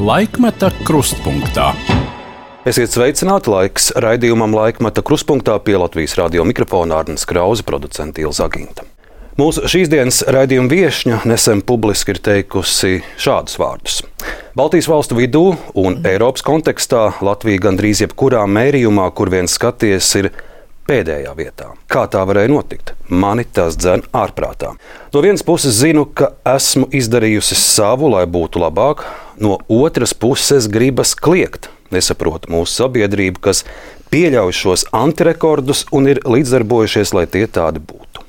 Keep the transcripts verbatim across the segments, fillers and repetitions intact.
Laikmeta krustpunktā. Esiet sveicināti, laiks raidījumam Laikmeta krustpunktā pie Latvijas radio mikrofona Arnis Krause, producente Ilza Aginta. Mūsu šīs dienas raidījuma viešņa nesen publiski ir teikusi šādus vārdus. Baltijas valstu vidū un Eiropas kontekstā Latvija gandrīz jebkurā mērījumā, kur vien skaties, ir pēdējā vietā. Kā tā varēja notikt? Mani tas dzen ārprātā. No vienas puses zinu, ka esmu izdarījusi savu, lai būtu labāk, no otras puses gribas kliegt. Nesaprotu mūsu sabiedrību, kas pieļauj šos antirekordus un ir līdzdarbojušies, lai tie tādi būtu.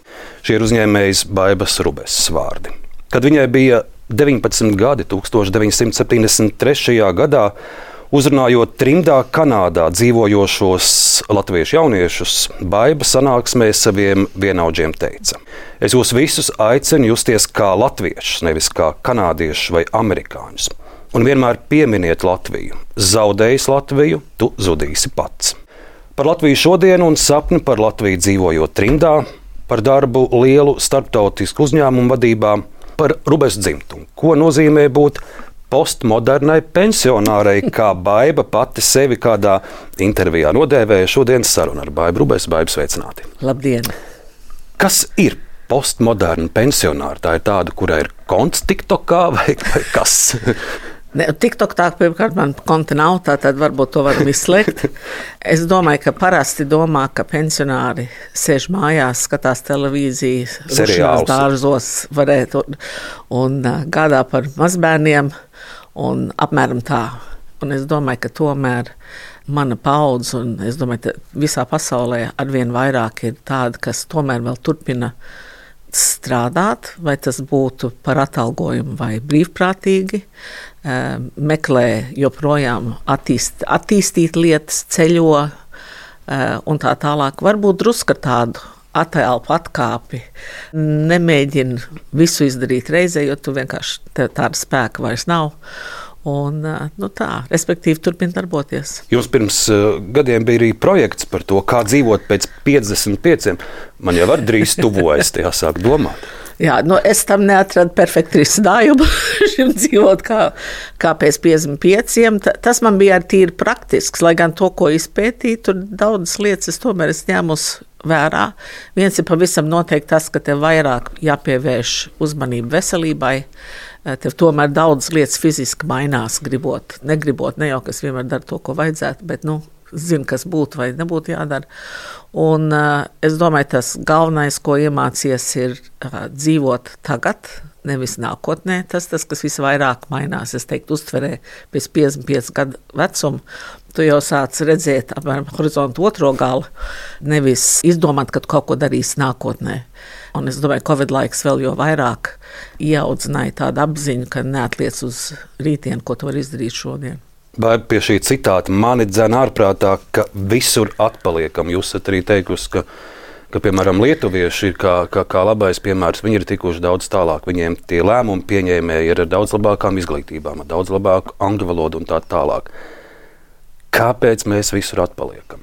Šie ir uzņēmējas Baibas Rubeses vārdi. Kad viņai bija deviņpadsmit gadi, tuksstoš deviņsimt septiņdesmit trešajā gadā, uzrunājot trimdā Kanādā dzīvojošos latviešu jauniešus, Baiba sanāksmē saviem vienaudžiem teica: Es jūs visus aicinu justies kā latviešus, nevis kā kanādiešus vai amerikāņus. Un vienmēr pieminiet Latviju. Zaudējis Latviju, tu zudīsi pats. Par Latviju šodien un sapni par Latviju dzīvojot trimdā, par darbu lielu starptautisku uzņēmumu vadībā, par Rubesu dzimtumu. Ko nozīmē būt postmodernai pensionārai, kā Baiba pati sevi kādā intervijā nodēvēja. Šodienas saruna ar Baibu Rubesu. Baiba, sveicināti. Labdien! Kas ir postmoderna pensionāra? Tā ir tāda, kurai ir konts TikTokā vai, vai kas? Ne, TikTok tā, pirmkārt, man konta nav, tā tad varbūt to varam izslēgt. Es domāju, ka parasti domā, ka pensionāri sēž mājās, skatās televīziju, rušanās dārzos varētu un, un gādā par mazbērniem un apmēram tā. Un es domāju, ka tomēr mana paudze, un es domāju, ka visā pasaulē arvien vairāk ir tādi, kas tomēr vēl turpina strādāt, vai tas būtu par atalgojumu vai brīvprātīgi, meklē joprojām attīst, attīstīt lietas, ceļo un tā tālāk. Varbūt drusku tādu attēlpu atkāpi, nemēģina visu izdarīt reizē, jo tu vienkārši tāda spēka vairs nav. Un, nu tā, respektīvi, turpina darboties. Jums pirms uh, gadiem bija arī projekts par to, kā dzīvot pēc piecdesmit pieciem. Man jau var drīz tuvojas, tajā sāk domāt. Jā, nu es tam neatradu perfektu risinājumu šim dzīvot kā, kā pēc piecdesmit pieciem. Ta, tas man bija arī tīri praktisks, lai gan to, ko izpētīju, tur daudzas lietas es tomēr es ņēmus vērā. Viens ir pavisam noteikti tas, ka tev vairāk jāpievērš uzmanību veselībai. Tev tomēr daudz lietas fiziski mainās, gribot, negribot, ne jau kas vienmēr dara to, ko vajadzētu, bet, nu, zinu, kas būtu vai nebūtu jādara. Un uh, es domāju, tas galvenais, ko iemācies, ir uh, dzīvot tagad, nevis nākotnē. Tas, tas, kas visvairāk mainās, es teiktu, uztverē pēc piecdesmit piecu gadu vecuma. Tu jau sāc redzēt apmēram horizontu otro galu, nevis izdomāt, ka tu kaut ko darīsi nākotnē. Un es domāju, Covid laiks vēl jo vairāk ieaudzināja tādu apziņu, ka neatliec uz rītdienu, ko tu vari izdarīt šodien. Vai pie šī citāta mani dzen ārprātā, ka visur atpaliekam? Jūs esat arī teikusi, ka, ka piemēram, lietuvieši ir kā, kā, kā labais piemērs. Viņi ir tikuši daudz tālāk. Viņiem tie lēmumi pieņēmēji ir ar daudz labākām izglītībām, ar daudz labāku angļu valodu un tā tālāk. Kāpēc mēs visur atpaliekam?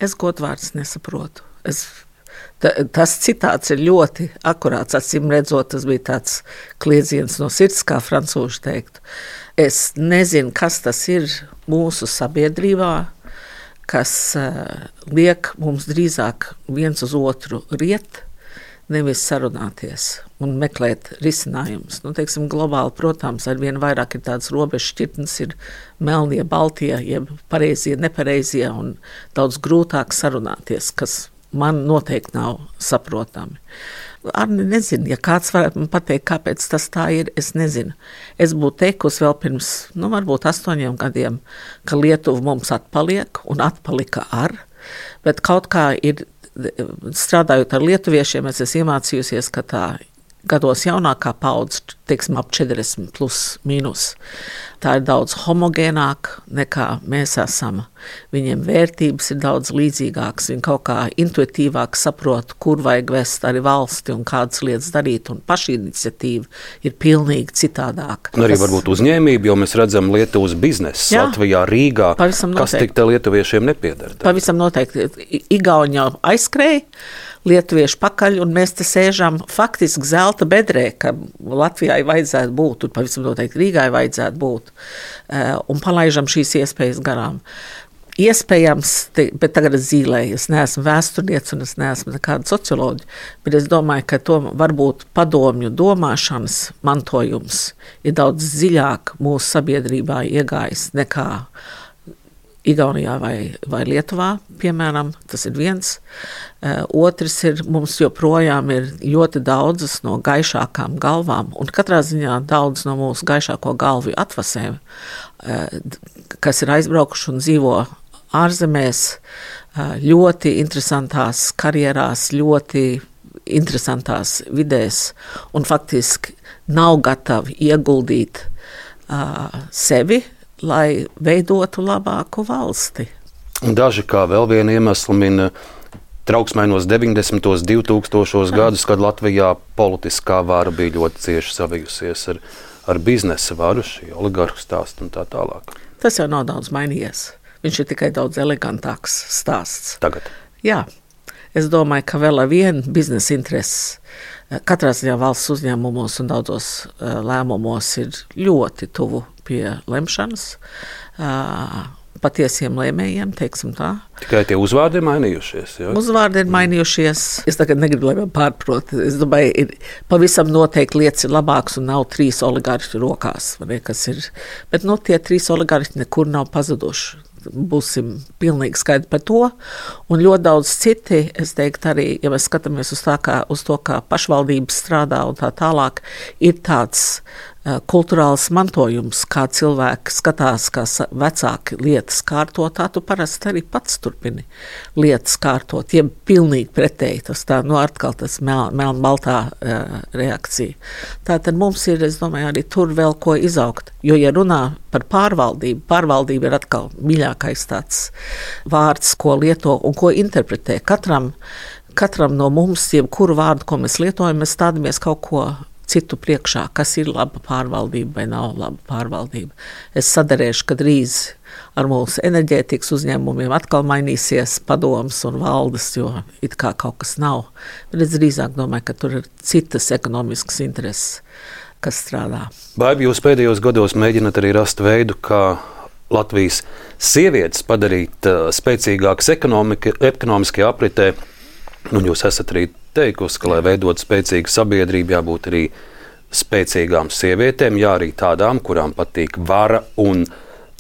Es godvārds nesaprotu. Es Ta, tas citāts ir ļoti akurāts, acīm redzot, tas bija tāds kliedziens no sirds, kā francūži teiktu. Es nezinu, kas tas ir mūsu sabiedrībā, kas uh, liek mums drīzāk viens uz otru riet, nevis sarunāties un meklēt risinājumus. Nu, teiksim, globāli, protams, arvien vairāk ir tādas robežu šķirtnes, ir melnie, baltie, jeb pareizie, nepareizie, un daudz grūtāk sarunāties, kas man noteikti nav saprotami. Arni, nezinu, ja kāds varētu man pateikt, kāpēc tas tā ir, es nezinu. Es būtu teikusi vēl pirms, nu, varbūt astoņiem gadiem, ka Lietuva mums atpaliek un atpalika ar, bet kaut kā ir, strādājot ar lietuviešiem, es esmu iemācījusies, ka tā gados jaunākā paudze, teiksim, ap četrdesmit plus mīnus. Tā ir daudz homogēnāk nekā mēs esam. Viņiem vērtības ir daudz līdzīgākas. Viņi kaut kā intuitīvāk saprot, kur vajag vest arī valsti un kādas lietas darīt. Un pašiniciatīva ir pilnīgi citādāka. Un arī Tas... varbūt uzņēmība, jo mēs redzam Lietuvas biznesu Latvijā, Rīgā. Kas tik te lietuviešiem nepieder? Pavisam noteikti. Igauni jau aizskrēja, lietuvieši pakaļ, un mēs te sēžam faktiski zelta bedrē, ka Latvijā Rīgai vajadzētu būt, un pavisam noteikti Rīgai vajadzētu būt, un palaižam šīs iespējas garām. Iespējams, bet tagad es zīlēju, es neesmu vēsturniece un es neesmu nekāda socioloģija, bet es domāju, ka to varbūt padomju domāšanas mantojums ir daudz dziļāk mūsu sabiedrībā iegājis nekā Igaunijā vai, vai Lietuvā, piemēram, tas ir viens. Otrs ir, mums joprojām ir ļoti daudzas no gaišākām galvām, un katrā ziņā daudz no mūsu gaišāko galvu atvasēm, kas ir aizbraukuši un dzīvo ārzemēs, ļoti interesantās karjerās, ļoti interesantās vidēs, un faktiski nav gatavi ieguldīt uh, sevi, lai veidotu labāku valsti. Daži kā vēl vienu iemeslu min trauksmainos deviņdesmitos, divtūkstošos gadus, kad Latvijā politiskā vara bija ļoti cieši savijusies ar, ar biznesa varu, šī oligarhu stāstu un tā tālāk. Tas jau nav daudz mainījies. Viņš ir tikai daudz elegantāks stāsts. Tagad? Jā. Es domāju, ka vēl ar vienu biznesa intereses katrā ziņā valsts uzņēmumos un daudzos lēmumos ir ļoti tuvu pie lemšanas, patiesiem lēmējiem, teiksim tā. Tikai tie uzvārdi ir mainījušies. Jā? Uzvārdi ir mainījušies. Es tagad negribu, lai man pārprot. Es domāju, ir pavisam noteikti lietas ir labākas un nav trīs oligarhi rokās. Ne, kas ir. Bet no tie trīs oligarhi nekur nav pazuduši. Būsim pilnīgi skaidri par to. Un ļoti daudz citi, es teiktu arī, ja mēs skatāmies uz, tā, kā, uz to, kā pašvaldības strādā un tā tālāk, ir tāds uh, kulturāls mantojums, kā cilvēki skatās, kā vecāki lietas kārto, tā tu parasti arī pats turpini lietas kārtot. Ja pilnīgi pretēji, tas tā, nu atkal tas mel, melnbaltā uh, reakcija. Tātad mums ir, es domāju, arī tur vēl ko izaugt. Jo, ja runā par pārvaldību, pārvaldība ir atkal mīļākais tāds vārds, ko lieto un ko interpretē. Katram, katram no mums, jebkuru vārdu, ko mēs lietojam, mēs stādamies kaut ko citu priekšā, kas ir laba pārvaldība vai nav laba pārvaldība. Es sadarēšu, ka drīz ar mūsu enerģētikas uzņēmumiem atkal mainīsies padomas un valdes, jo it kā kaut kas nav. Bet es drīzāk domāju, ka tur ir citas ekonomiskas intereses, kas strādā. Baibi, jūs pēdējos gados mēģināt arī rast veidu, kā Latvijas sievietes padarīt uh, spēcīgākas ekonomiskajā apritē. Un jūs esat arī teikusi, ka, lai veidot spēcīgu sabiedrību, jābūt arī spēcīgām sievietēm, jā, arī tādām, kurām patīk vara un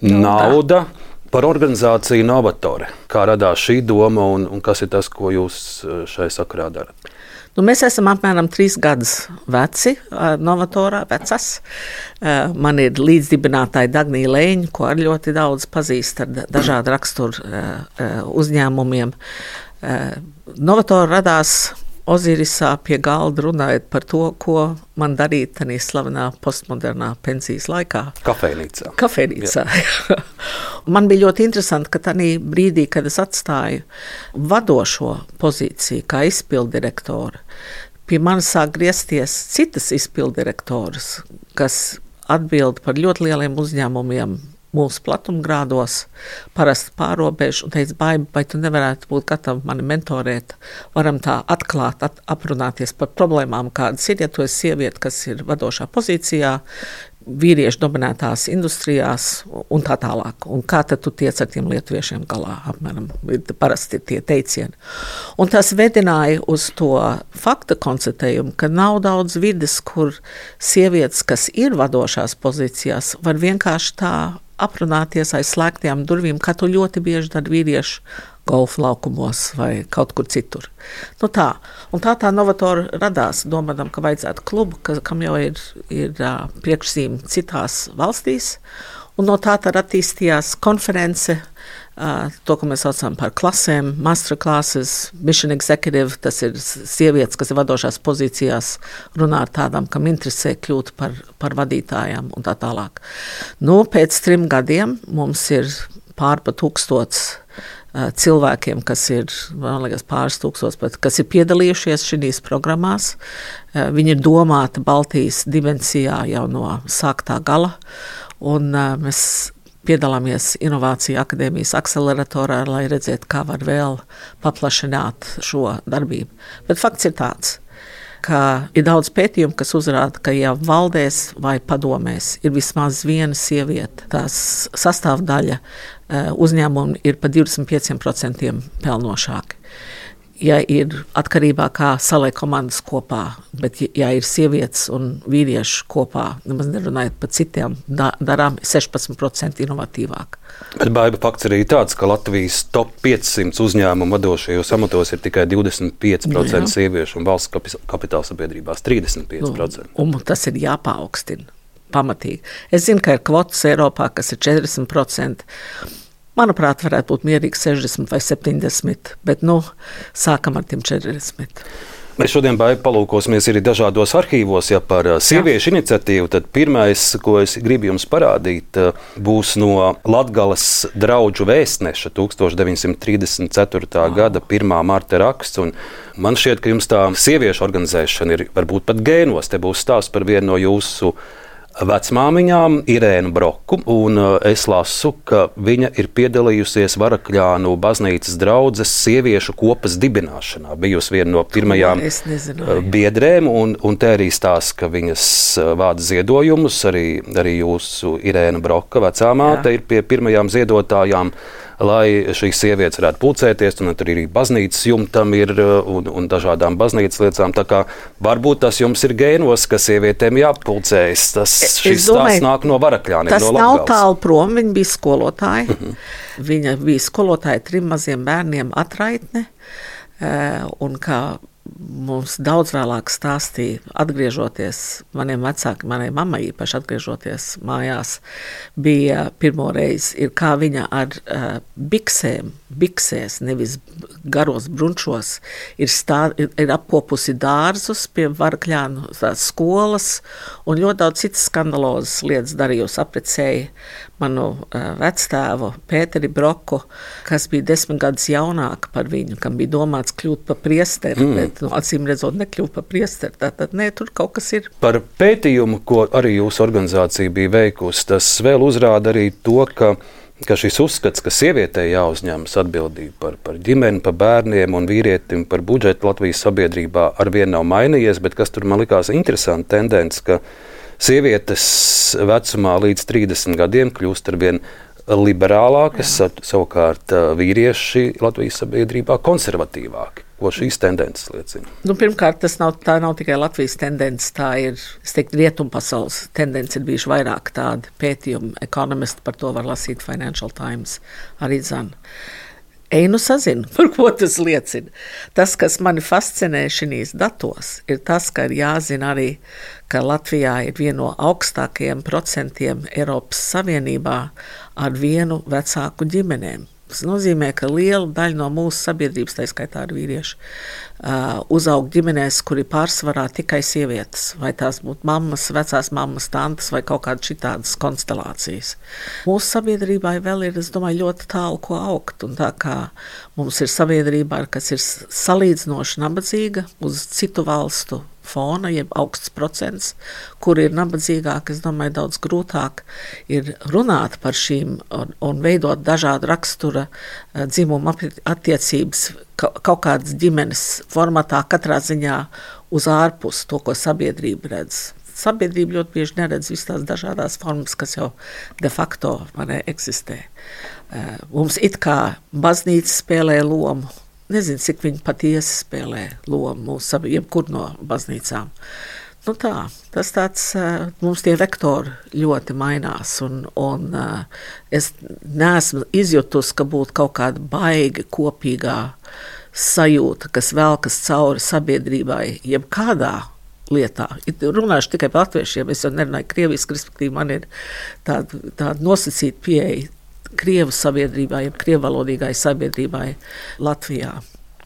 nauda. Par organizāciju Novatore. Kā radās šī doma un, un kas ir tas, ko jūs šai sakarā darat? Nu, mēs esam apmēram trīs gadus veci, Novatorā, vecas. Man ir līdzdibinātāja Dagnija Lēņa, ko ar ļoti daudz pazīst ar dažādu raksturu uzņēmumiem. Novatora radās Ozirisā pie galda runājot par to, ko man darīt tanī slavenā postmodernā pensijas laikā. Kafejnīcā. Kafejnīcā. Man bija ļoti interesanti, ka tanī brīdī, kad es atstāju vadošo pozīciju kā izpildirektora, pie manis sāk griezties citas izpildirektoras, kas atbild par ļoti lieliem uzņēmumiem mūsu platumgrādos, parasti pārobežu, un teica, Baiba, vai tu nevarētu būt gatavi mani mentorēt, varam tā atklāt, at, aprunāties par problēmām, kādas ir, ja tu esi sieviete, kas ir vadošā pozīcijā, vīriešu dominētās industrijās un tā tālāk. Un kā tad tu tiec ar tiem lietuviešiem galā, apmēram, parasti ir tie teicieni. Un tas vedināja uz to fakta konstatējumu, ka nav daudz vides, kur sievietes, kas ir vadošās pozīcijās, var vienkārši tā aprunāties aiz slēgtajām durvīm, kā to ļoti bieži dara vīrieši golfa laukumos vai kaut kur citur. Nu tā. Un tā tā Novatora radās, domādam, ka vajadzētu klubu, ka, kam jau ir, ir uh, priekšzīme citās valstīs. Un no tā tad attīstījās konference, uh, to, ko mēs saucam par klasēm, masterclasses, mission executive, tas ir sievietes, kas ir vadošās pozīcijās, runā ar tādām, kam interesē kļūt par, par vadītājām un tā tālāk. Nu, pēc trim gadiem mums ir pārpa tūkstots cilvēkiem, kas ir, man liekas, pāris tūkstots, bet kas ir piedalījušies šīs programmās. Viņi ir domāti Baltijas dimensijā jau no sāktā gala, un mēs piedalāmies Inovāciju akadēmijas akceleratorā, lai redzētu, kā var vēl paplašināt šo darbību. Bet fakts ir tāds. ka ir daudz pētījumu, kas uzrāda, ka ja valdēs vai padomēs ir vismaz viena sieviete, tās sastāvdaļa uzņēmumi ir pa divdesmit pieciem procentiem pelnošāki. Ja ir atkarībā, kā saliek komandas kopā, bet ja ir sievietes un vīrieši kopā, nemaz nerunājot par citiem da- darām, sešpadsmit procenti inovatīvāk. Bet baiba fakts arī tāds, ka Latvijas top piecsimt uzņēmumu vadošajos amatos ir tikai divdesmit pieci procenti sieviešu un valsts kapitāla sabiedrībās trīsdesmit pieci procenti. Nu, un tas ir jāpaaugstina pamatīgi. Es zinu, ka ir kvotas Eiropā, kas ir četrdesmit procenti. Manuprāt, varētu būt mierīgi sešdesmit vai septiņdesmit, bet nu, sākam ar tiem četrdesmit. Mēs šodien baigu palūkosimies arī dažādos arhīvos, ja par sieviešu Jā. iniciatīvu, tad pirmais, ko es gribu jums parādīt, būs no Latgales draudžu vēstneša tūkstoš deviņsimt trīsdesmit ceturtā gada pirmā marta raksts, un man šķiet, ka jums tā sieviešu organizēšana ir varbūt pat gēnos. Te būs stāsts par vienu no jūsu vecmāmiņām, Irēnu Broku, un es lasu, ka viņa ir piedalījusies Varakļānu baznīcas draudzes sieviešu kopas dibināšanā. Bijusi viena no pirmajām biedrēm, un, un te arī stāsta, ka viņas vāc ziedojumus, arī, arī jūsu Irēna Broka vecāmāte ir pie pirmajām ziedotājām, lai šīs sievietes varētu pulcēties, un tur arī baznīcas jumtam ir un, un dažādām baznīcas lietām. Tā kā varbūt tas jums ir gēnos, ka sievietēm jāpulcējas. Tas šis stāsts nāk no Varakļāniem, tas no Latgales. Nav tālu prom, viņa bija skolotāja. Uh-huh. Viņa bija skolotāja trim maziem bērniem atraitne, un kā mums daudz vēlāk stāstīja, atgriežoties maniem vecākiem, manai mammai īpaši atgriežoties mājās, bija pirmo reizi, ir kā viņa ar uh, biksēm, biksēs, nevis garos brunčos, ir, stā, ir, ir apkopusi dārzus pie Varakļānu skolas un ļoti daudz citas skandalozas lietas darījusi, aprecēja manu uh, vectēvu Pēteri Broku, kas bija desmit gadus jaunāka par viņu, kam bija domāts kļūt par priesteri, mm. bet nu, acīm redzot nekļūt par priesteri. Tātad, nē, tur kaut kas ir. Par pētījumu, ko arī jūsu organizācija bija veikusi, tas vēl uzrāda arī to, ka, ka šis uzskats, ka sievietei jāuzņemas atbildība par, par ģimeni, par bērniem un vīrietim par budžetu Latvijas sabiedrībā arvien nav mainījies, bet kas tur man likās interesanti tendence, ka sievietes vecumā līdz trīsdesmit gadiem kļūst arvien liberālākas, Jā. savukārt vīrieši Latvijas sabiedrībā konservatīvāki. Ko šīs tendences liecina? Nu, pirmkārt, tas nav, tā nav tikai Latvijas tendence, tā ir, es teiktu, rietumpasaules tendence, ir bijuši vairāk tādi pētījumi, ekonomisti par to var lasīt Financial Times, arī zan. Einu sazinu, par ko tas liecina. Tas, kas mani fascinē šīs datos, ir tas, ka ir jāzina arī, ka Latvijā ir viena no augstākajiem procentiem Eiropas Savienībā ar vienu vecāku ģimenēm. Tas nozīmē, ka liela daļa no mūsu sabiedrības, tā skaitā ar vīriešu, uh, uzaug ģimenēs, kuri pārsvarā tikai sievietes, vai tās būtu mammas, vecās mammas, tantes vai kaut kādas šitādas konstelācijas. Mūsu sabiedrībā vēl ir, es domāju, ļoti tālu, ko augt, un tā kā mums ir sabiedrībā, kas ir salīdzinoši nabadzīga uz citu valstu fona, jeb augsts procents, kur ir nabadzīgāk, es domāju, daudz grūtāk ir runāt par šīm un, un veidot dažādu rakstura dzimumu attiecības kaut kādas ģimenes formatā, katrā ziņā uz ārpus to, ko sabiedrība redz. Sabiedrība ļoti bieži neredz visas tās dažādās formas, kas jau de facto manē eksistē. Mums it kā baznīca spēlē lomu, nezinu, cik viņi patiesi spēlē lomu mūsu jebkur no baznīcām. Nu tā, tas tāds, mums tie vektori ļoti mainās, un, un es neesmu izjutus, ka būtu kaut kāda baigi kopīgā sajūta, kas velkas cauri sabiedrībai, jeb kādā lietā. Runāšu tikai par latviešiem, es jau nerunāju krieviski, respektīvi man ir tāda, tāda nosacīta pieeja Krievu sabiedrībai, jeb krievalodīgai sabiedrībai Latvijā.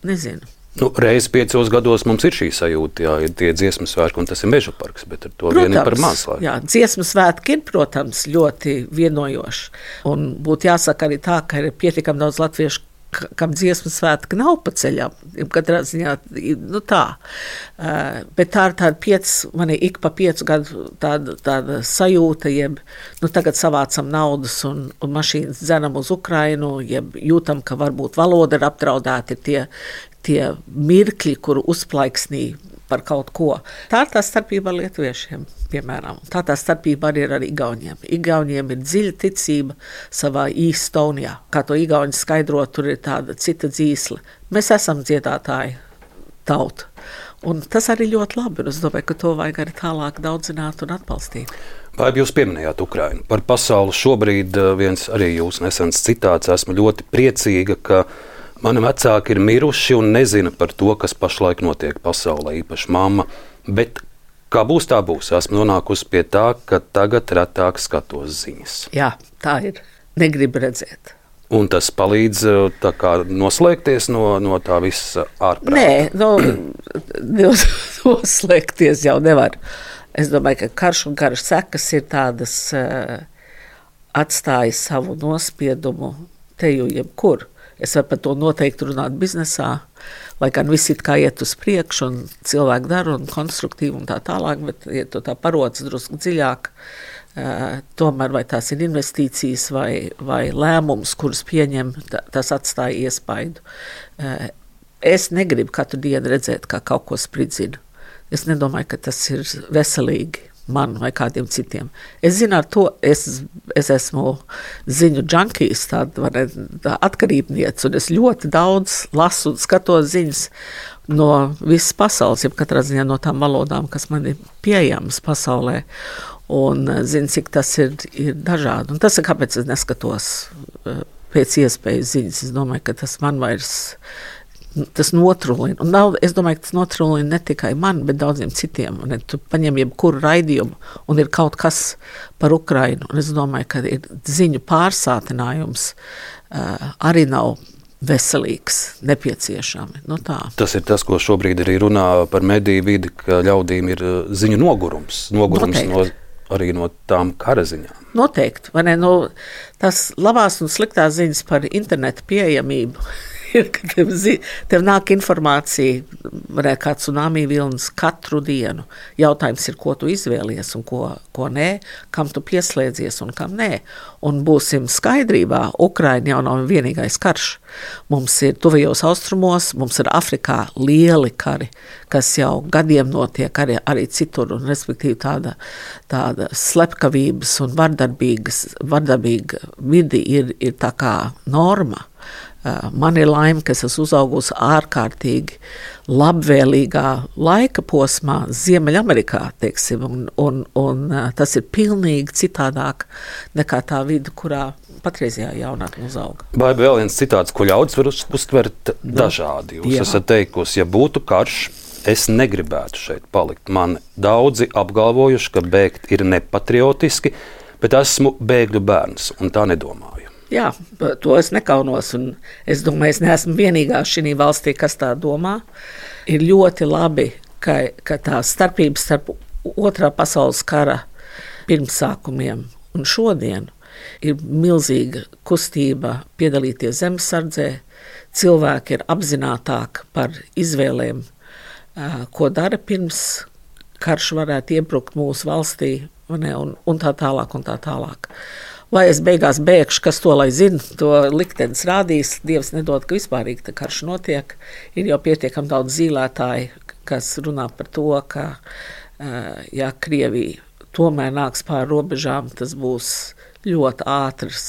Nezinu. Nu, reiz piecos gados mums ir šī sajūta, jā, ir tie dziesmu svētki, un tas ir meža parks, bet ar to vien ir par maz. Jā, dziesmu svētki ir, protams, ļoti vienojoši. Un būtu jāsaka arī tā, ka ir pietiekami daudz latviešu, kam dziesmu svētki nav pa ceļam. Katrā ziņā, nu tā. Uh, bet tā ir tāda piec, man ir ik pa piecu gadu tāda, tāda sajūta, jeb, nu tagad savācam naudas un, un mašīnas dzenam uz Ukrainu, jeb jūtam, ka varbūt valoda ir apdraudēta, ir tie, tie mirkļi, kuru uzplaiksnī par kaut ko. Tā ir tā starpība ar lietuviešiem, piemēram. Tā tā starpība arī ir ar igauniem. Igauniem ir dziļa ticība savā īstonijā. Kā to igauņi skaidro, tur ir tāda cita dzīsle. Mēs esam dziedātāji tauta. Un tas arī ļoti labi, un es domāju, ka to vajag arī tālāk daudzināt un atbalstīt. Vai jūs pieminējāt Ukrainu? Par pasauli šobrīd viens arī jūs nesens citāts. Esmu ļoti priecīga, ka mani vecāki ir miruši un nezina par to, kas pašlaik notiek pasaulē, īpaši mamma. Bet kā būs, tā būs. Esmu nonākusi pie tā, ka tagad retāk skatos ziņas. Jā, tā ir. Negribu redzēt. Un tas palīdz tā kā noslēgties no, no tā visa ārprāta? Nē, no, noslēgties jau nevar. Es domāju, ka karš un kara sekas ir tādas, uh, atstāja savu nospiedumu te jau jebkur. Es varu par to noteikti runāt biznesā, lai gan viss it kā iet uz priekšu un cilvēki dara un konstruktīvi un tā tālāk, bet ja tu tā paroc drusku dziļāk, Uh, tomēr vai tās ir investīcijas vai, vai lēmums, kurus pieņem, tas atstāja iespaidu. Uh, es negribu katru dienu redzēt, kā kaut ko spridzina. Es nedomāju, ka tas ir veselīgi man vai kādiem citiem. Es zinu ar to, es, es esmu ziņu džankijs, tāda, tā atkarībniece, un es ļoti daudz lasu un skatos ziņas no visas pasaules, jeb katrā ziņā no tām valodām, kas man ir pieejamas pasaulē. Un zinu, cik tas ir, ir dažādi. Un tas ir, kāpēc es neskatos pēc iespējas ziņas. Es domāju, ka tas man vairs, tas notrulina. Un nav, es domāju, ka tas notrulina ne tikai man, bet daudziem citiem. Un tu paņem jebkuru raidījumu un ir kaut kas par Ukrainu. Un es domāju, ka ir ziņu pārsātinājums uh, arī nav veselīgs, nepieciešami. Nu tā. Tas ir tas, ko šobrīd arī runā par mediju vidi, ka ļaudīm ir ziņu nogurums. Nogurums Noteikti. no, arī no tām kara ziņām. Noteikti. Vai ne? Nu, tas labās un sliktās ziņas par internetu pieejamību ir, ka tev, zi, tev nāk informācija, varētu kā tsunami vilnis katru dienu. Jautājums ir, ko tu izvēlies un ko, ko nē, kam tu pieslēdzies un kam nē. Un būsim skaidrībā, Ukraina jau nav vienīgais karš. Mums ir tuvajos austrumos, mums ir Afrikā lieli kari, kas jau gadiem notiek arī, arī citur, un respektīvi tāda, tāda slepkavības un vardarbīgas, vardarbīga vidi ir, ir tā kā norma. Man ir laime, ka es esmu uzaugusi ārkārtīgi labvēlīgā laika posmā Ziemeļamerikā, teiksim, un, un, un tas ir pilnīgi citādāk nekā tā vide, kurā patreizajā jaunatne uzauga. Vai vēl viens citāts, ko ļaudis var uztvert dažādi. Jūs Jā. esat teikusi, ja būtu karš, es negribētu šeit palikt. Man daudzi apgalvojuši, ka bēgt ir nepatriotiski, bet esmu bēgļu bērns, un tā nedomāju. Jā, to es nekaunos, un es domāju, es neesmu vienīgā šī valstī, kas tā domā. Ir ļoti labi, ka, ka tā starpība starp otrā pasaules kara pirmsākumiem un šodien ir milzīga kustība piedalīties zemesardzē. Cilvēki ir apzinātāki par izvēlēm, ko dara pirms karš varētu iebrukt mūsu valstī, ne, un, un tā tālāk un tā tālāk. Vai es beigās bēgšu, kas to lai zina, to liktenis rādīs, Dievs nedod, ka vispārīgi tā karš notiek. Ir jau pietiekami daudz zīlētāji, kas runā par to, ka, ja Krievija tomēr nāks pāri robežām, tas būs ļoti ātrs,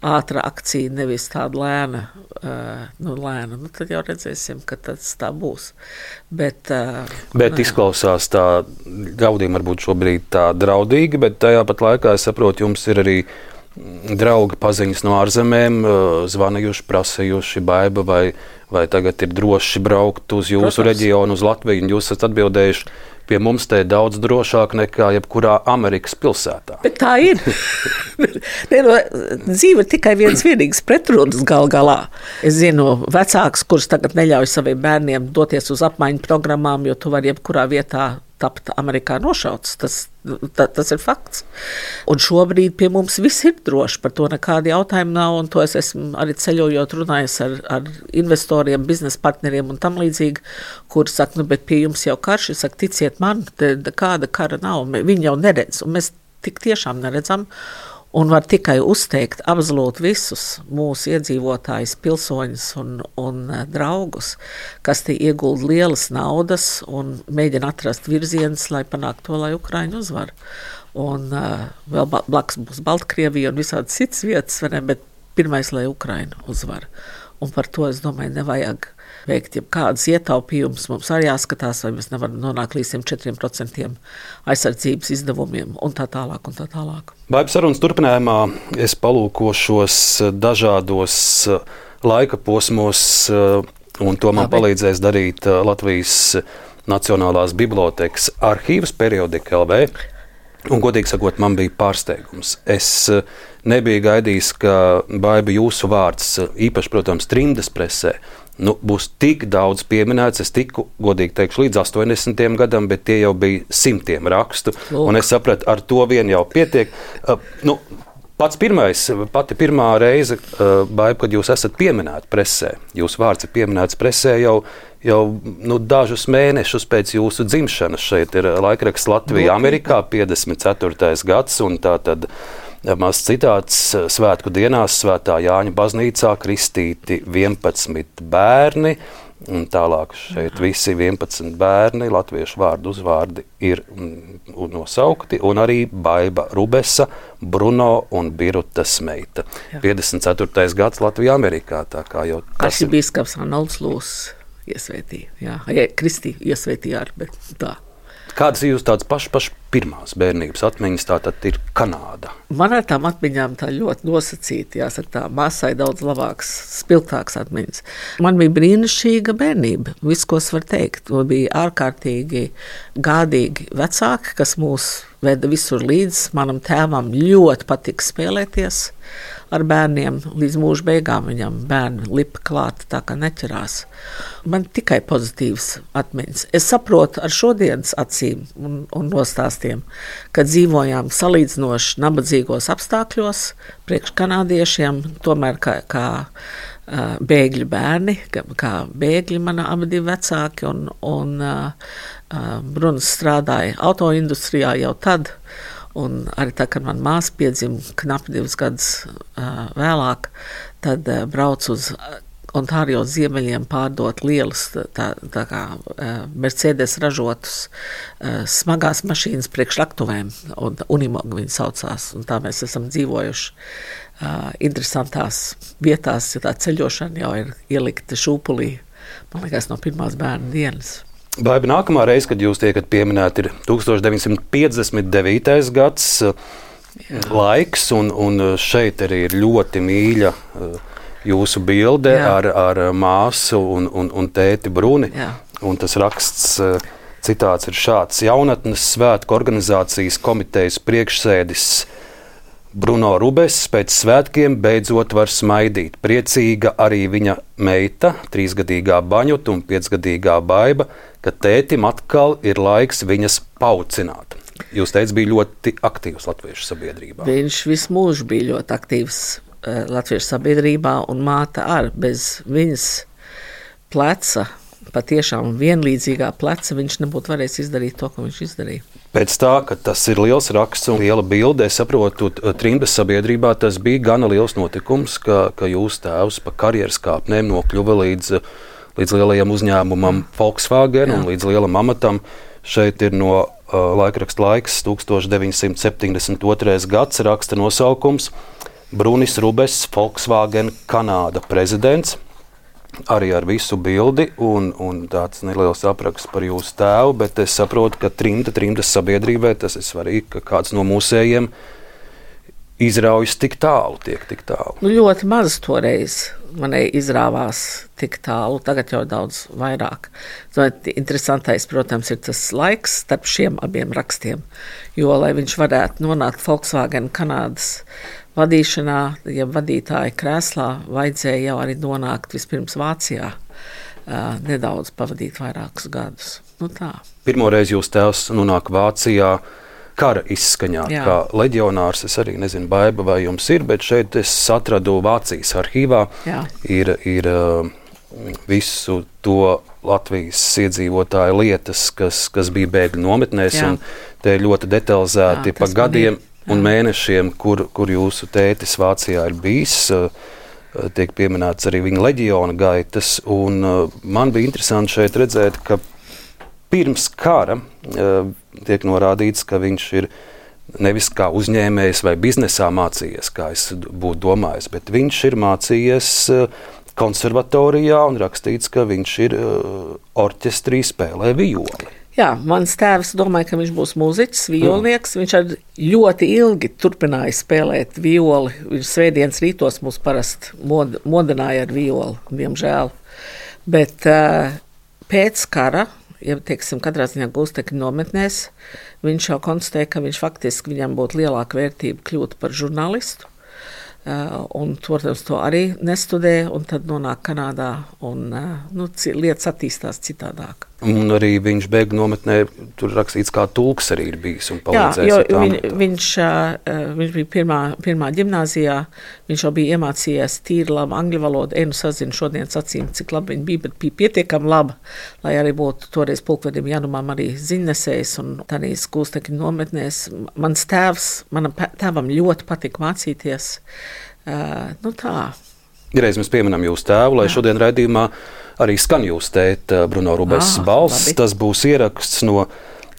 ātra akcija, nevis tāda lēna, uh, nu lēna, nu tad jau redzēsim, ka tas tā būs. Bet, uh, bet ne. Izklausās tā, ļaudīm varbūt šobrīd tā draudīgi, bet tajā pat laikā, es saprotu, jums ir arī draugi paziņas no ārzemēm, zvanījuši, prasījuši, baiba, vai, vai tagad ir droši braukt uz jūsu Protams. reģionu, uz Latviju, un jūs esat atbildējuši, pie mums te ir daudz drošāk nekā jebkurā Amerikas pilsētā. Bet tā ir. ne, no, dzīve ir tikai viens vienīgs pretrunas gal galā. Es zinu vecāks, kurš tagad neļauj saviem bērniem doties uz apmaiņu programmām, jo tu vari jebkurā vietā tapt Amerikā nošauts. Tas, ta, tas ir fakts. Un šobrīd pie mums viss ir droši, par to nekādi jautājumi nav, un to es esmu arī ceļojot runājis ar, ar investoriem, biznesa partneriem un tam līdzīgi, kuri saka, nu, bet pie jums jau karš, es saku, ticiet man, te, kāda kara nav, viņi jau neredz, un mēs tik tiešām neredzam, Un var tikai uzteikt absolūti visus mūsu iedzīvotājus, pilsoņus un, un draugus, kas te iegulda lielas naudas un mēģina atrast virzienus, lai panāktu to, lai Ukraiņa uzvar. Un uh, vēl blakus būs Baltkrievija un visādi citas vietas, ne, bet pirmais, lai Ukraiņa uzvar. Un par to, es domāju, nevajag veikt jebkādas ietaupījumus. Mums arī jāskatās, vai mēs nevaram nonākt līdz četriem procentiem aizsardzības izdevumiem un tā tālāk un tā tālāk. Baiba sarunas turpinājumā es palūkošos dažādos laika posmos, un to man Labi. palīdzēs darīt Latvijas Nacionālās bibliotēkas arhīvas periodika L V. Un, godīgi sakot, man bija pārsteigums. Es nebiju gaidījis, ka Baiba jūsu vārds, īpaši, protams, trimdas presē, nu, būs tik daudz pieminēts. Es tiku, godīgi teikšu, līdz astoņdesmitajam gadam, bet tie jau bija simtiem rakstu. Lūk. Un es sapratu, ar to vien jau pietiek. Uh, nu, pats pirmais, pati pirmā reize, uh, Baiba, kad jūs esat pieminēti presē, jūsu vārds ir pieminēts presē jau, jau nu, dažus mēnešus pēc jūsu dzimšanas. Šeit ir laikraksts Latvija Amerikā, piecdesmit ceturtais gads, un tā tad maz citāts: svētku dienās Svētā Jāņa baznīcā kristīti vienpadsmit bērni, un tālāk šeit visi vienpadsmit bērni, latviešu vārdu uzvārdi ir nosaukti, un arī Baiba Rubesa, Bruno un Birutas meita. Jā. piecdesmit ceturtais gads Latvijā Amerikā, tā kā jau tas ir. Arhibīskaps Arnolds Lūss iesvētīja, jā, ja, Kristi iesvētīja ar, bet tā. Kādas ir jūs tādas pašas paš pirmās bērnības atmiņas, tā tad ir Kanāda? Man ar tām atmiņām tā ļoti nosacīta, jāsaka tā, māsai daudz labāks, spilgtāks atmiņas. Man bija brīnišķīga bērnība, viss, ko es varu teikt. Man bija ārkārtīgi gādīgi vecāki, kas mūs veda visur līdz. Manam tēvam ļoti patika spēlēties ar bērniem. Līdz mūža beigām viņam bērni lipa klāt, tā kā neķerās. Man tikai pozitīvas atmiņas. Es saprotu ar šodienas acīm un, un nostāstiem, ka dzīvojām salīdzinoši nabadzīgos apstākļos priekš kanādiešiem, tomēr kā, kā uh, bēgļu bērni, kā, kā bēgļi mana abi divi vecāki, un, un uh, uh, Bruns strādāja autoindustrijā jau tad. Un arī tā, kad man māsa piedzima knapi divus gadus uh, vēlāk, tad uh, brauc uz Ontārio ziemeļiem pārdot lielus, tā, tā kā uh, Mercedes ražotus uh, smagās mašīnas priekšraktuvēm, un Unimog viņi saucās, un tā mēs esam dzīvojuši uh, interesantās vietās, jo tā ceļošana jau ir ielikta šūpulī, man liekas, no pirmās bērna dienas. Baiba, nākamā reize, kad jūs tiekat pieminēti, ir tusenš deviņsimt piecdesmit devītais gads. Jā. Laiks, un, un šeit arī ir ļoti mīļa jūsu bilde ar, ar māsu un, un, un tēti Bruni. Jā. Un tas raksts, citāts ir šāds: jaunatnes svētku organizācijas komitejas priekšsēdis Bruno Rubess pēc svētkiem beidzot var smaidīt. Priecīga arī viņa meita, trīsgadīgā Baņuta un piecgadīgā Baiba, ka tētim atkal ir laiks viņas paucināt. Jūs teicat, bija ļoti aktīvs latviešu sabiedrībā. Viņš visu mūžu bija ļoti aktīvs uh, latviešu sabiedrībā, un māte ar bez viņas pleca, patiešām vienlīdzīgā pleca, viņš nebūtu varējis izdarīt to, ko viņš izdarīja. Pēc tā, ka tas ir liels raksts un liela bilde, es saprotu, trimdas sabiedrībā tas bija gana liels notikums, ka, ka jūs tēvs pa karjeras kāpnēm nokļuva līdz, līdz lielajam uzņēmumam Volkswagen. Jā. Un līdz lielam amatam. Šeit ir no uh, laikraksta Laiks, tusenš deviņsimt septiņdesmit otrais gads, raksta nosaukums Brunis Rubess, Volkswagen Kanāda prezidents. Arī ar visu bildi un, un tāds neliels apraksts par jūsu tēvu, bet es saprotu, ka trimda, trimdas sabiedrībai tas ir svarīgi, ka kāds no mūsējiem izraujas tik tālu, tiek tik tālu. Nu, ļoti maz toreiz manai izrāvās tik tālu, tagad jau daudz vairāk. Ziniet, interesantais, protams, ir tas laiks starp šiem abiem rakstiem, jo, lai viņš varētu nonākt Volkswagen Kanādas vadīšanā, ja vadītāja krēslā, vajadzēja jau arī nonākt vispirms Vācijā, uh, nedaudz pavadīt vairākus gadus. Nu tā. Pirmoreiz jūs tēvs nonāk Vācijā kara izskaņā, jā, kā leģionārs. Es arī nezinu, Baiba, vai jums ir, bet šeit es atradu Vācijas arhīvā. Jā. Ir, ir uh, visu to Latvijas iedzīvotāju lietas, kas, kas bija bēgļu nometnēs, jā, un te ļoti detalizēti jā, pa gadiem. Bija. un mēnešiem, kur, kur jūsu tētis Vācijā ir bijis. Tiek pieminēts arī viņa leģiona gaitas. Un man bija interesanti šeit redzēt, ka pirms kara tiek norādīts, ka viņš ir nevis kā uzņēmējs vai biznesā mācījies, kā es būtu domājis, bet viņš ir mācījies konservatorijā un rakstīts, ka viņš ir orķestrī spēlē violi. Jā, mans tēvs domāja, ka viņš būs mūziķis, violnieks. Viņš ar ļoti ilgi turpināja spēlēt violi. Viņš svētdienas rītos mūs parasti mod, modināja ar violi, diemžēl. Bet uh, pēc kara, ja teiksim, katrā ziņā Gūstekņa nometnēs, viņš jau konstatēja, ka viņš faktiski viņam būtu lielāka vērtība kļūt par žurnālistu. Uh, un, protams, to arī nestudē, un tad nonāk Kanādā, un uh, nu, lietas attīstās citādāk. Un arī viņš bēgļu nometnē, tur rakstīts, kā tulks arī ir bijis un palīdzējis. Jā, jo viņ, viņš, uh, viņš bija pirmā, pirmā ģimnāzijā, viņš jau bija iemācījies tīri labu angļu valodu, enu sazinu šodienas acīm, cik labi viņa bija, bet bija pietiekami laba, lai arī būtu toreiz pulkvedim Janumam arī ziņnesējs un tādīs Gūstekņa nometnēs. Mans tēvs, manam tēvam ļoti patika mācīties. Uh, nu tā. Reiz mēs pieminam jūsu tēvu, lai Jā. Šodien raidījumā arī skan jūsu tēta Bruno Rubess ah, balss. Labi. Tas būs ieraksts no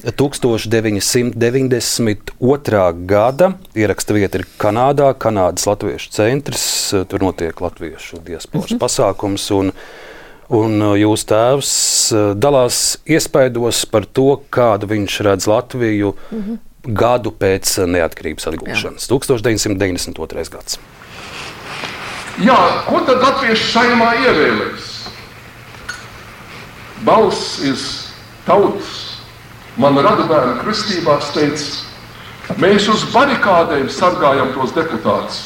tūkstoš deviņi simti deviņdesmit otrā gada. Ieraksta vieta ir Kanādā, Kanādas latviešu centrs. Tur notiek latviešu diasporas mm-hmm. pasākums. Un, un jūsu tēvs dalās iespaidos par to, kādu viņš redz Latviju mm-hmm. gadu pēc neatkarības atgūšanas. tūkstoš deviņi simti deviņdesmit otrais gads. Jā, ko tad latviešu saimā ievēlēs? Balss ir tautas. Man radubērnu kristībās teica, mēs uz barikādēm sargājam tos deputātus.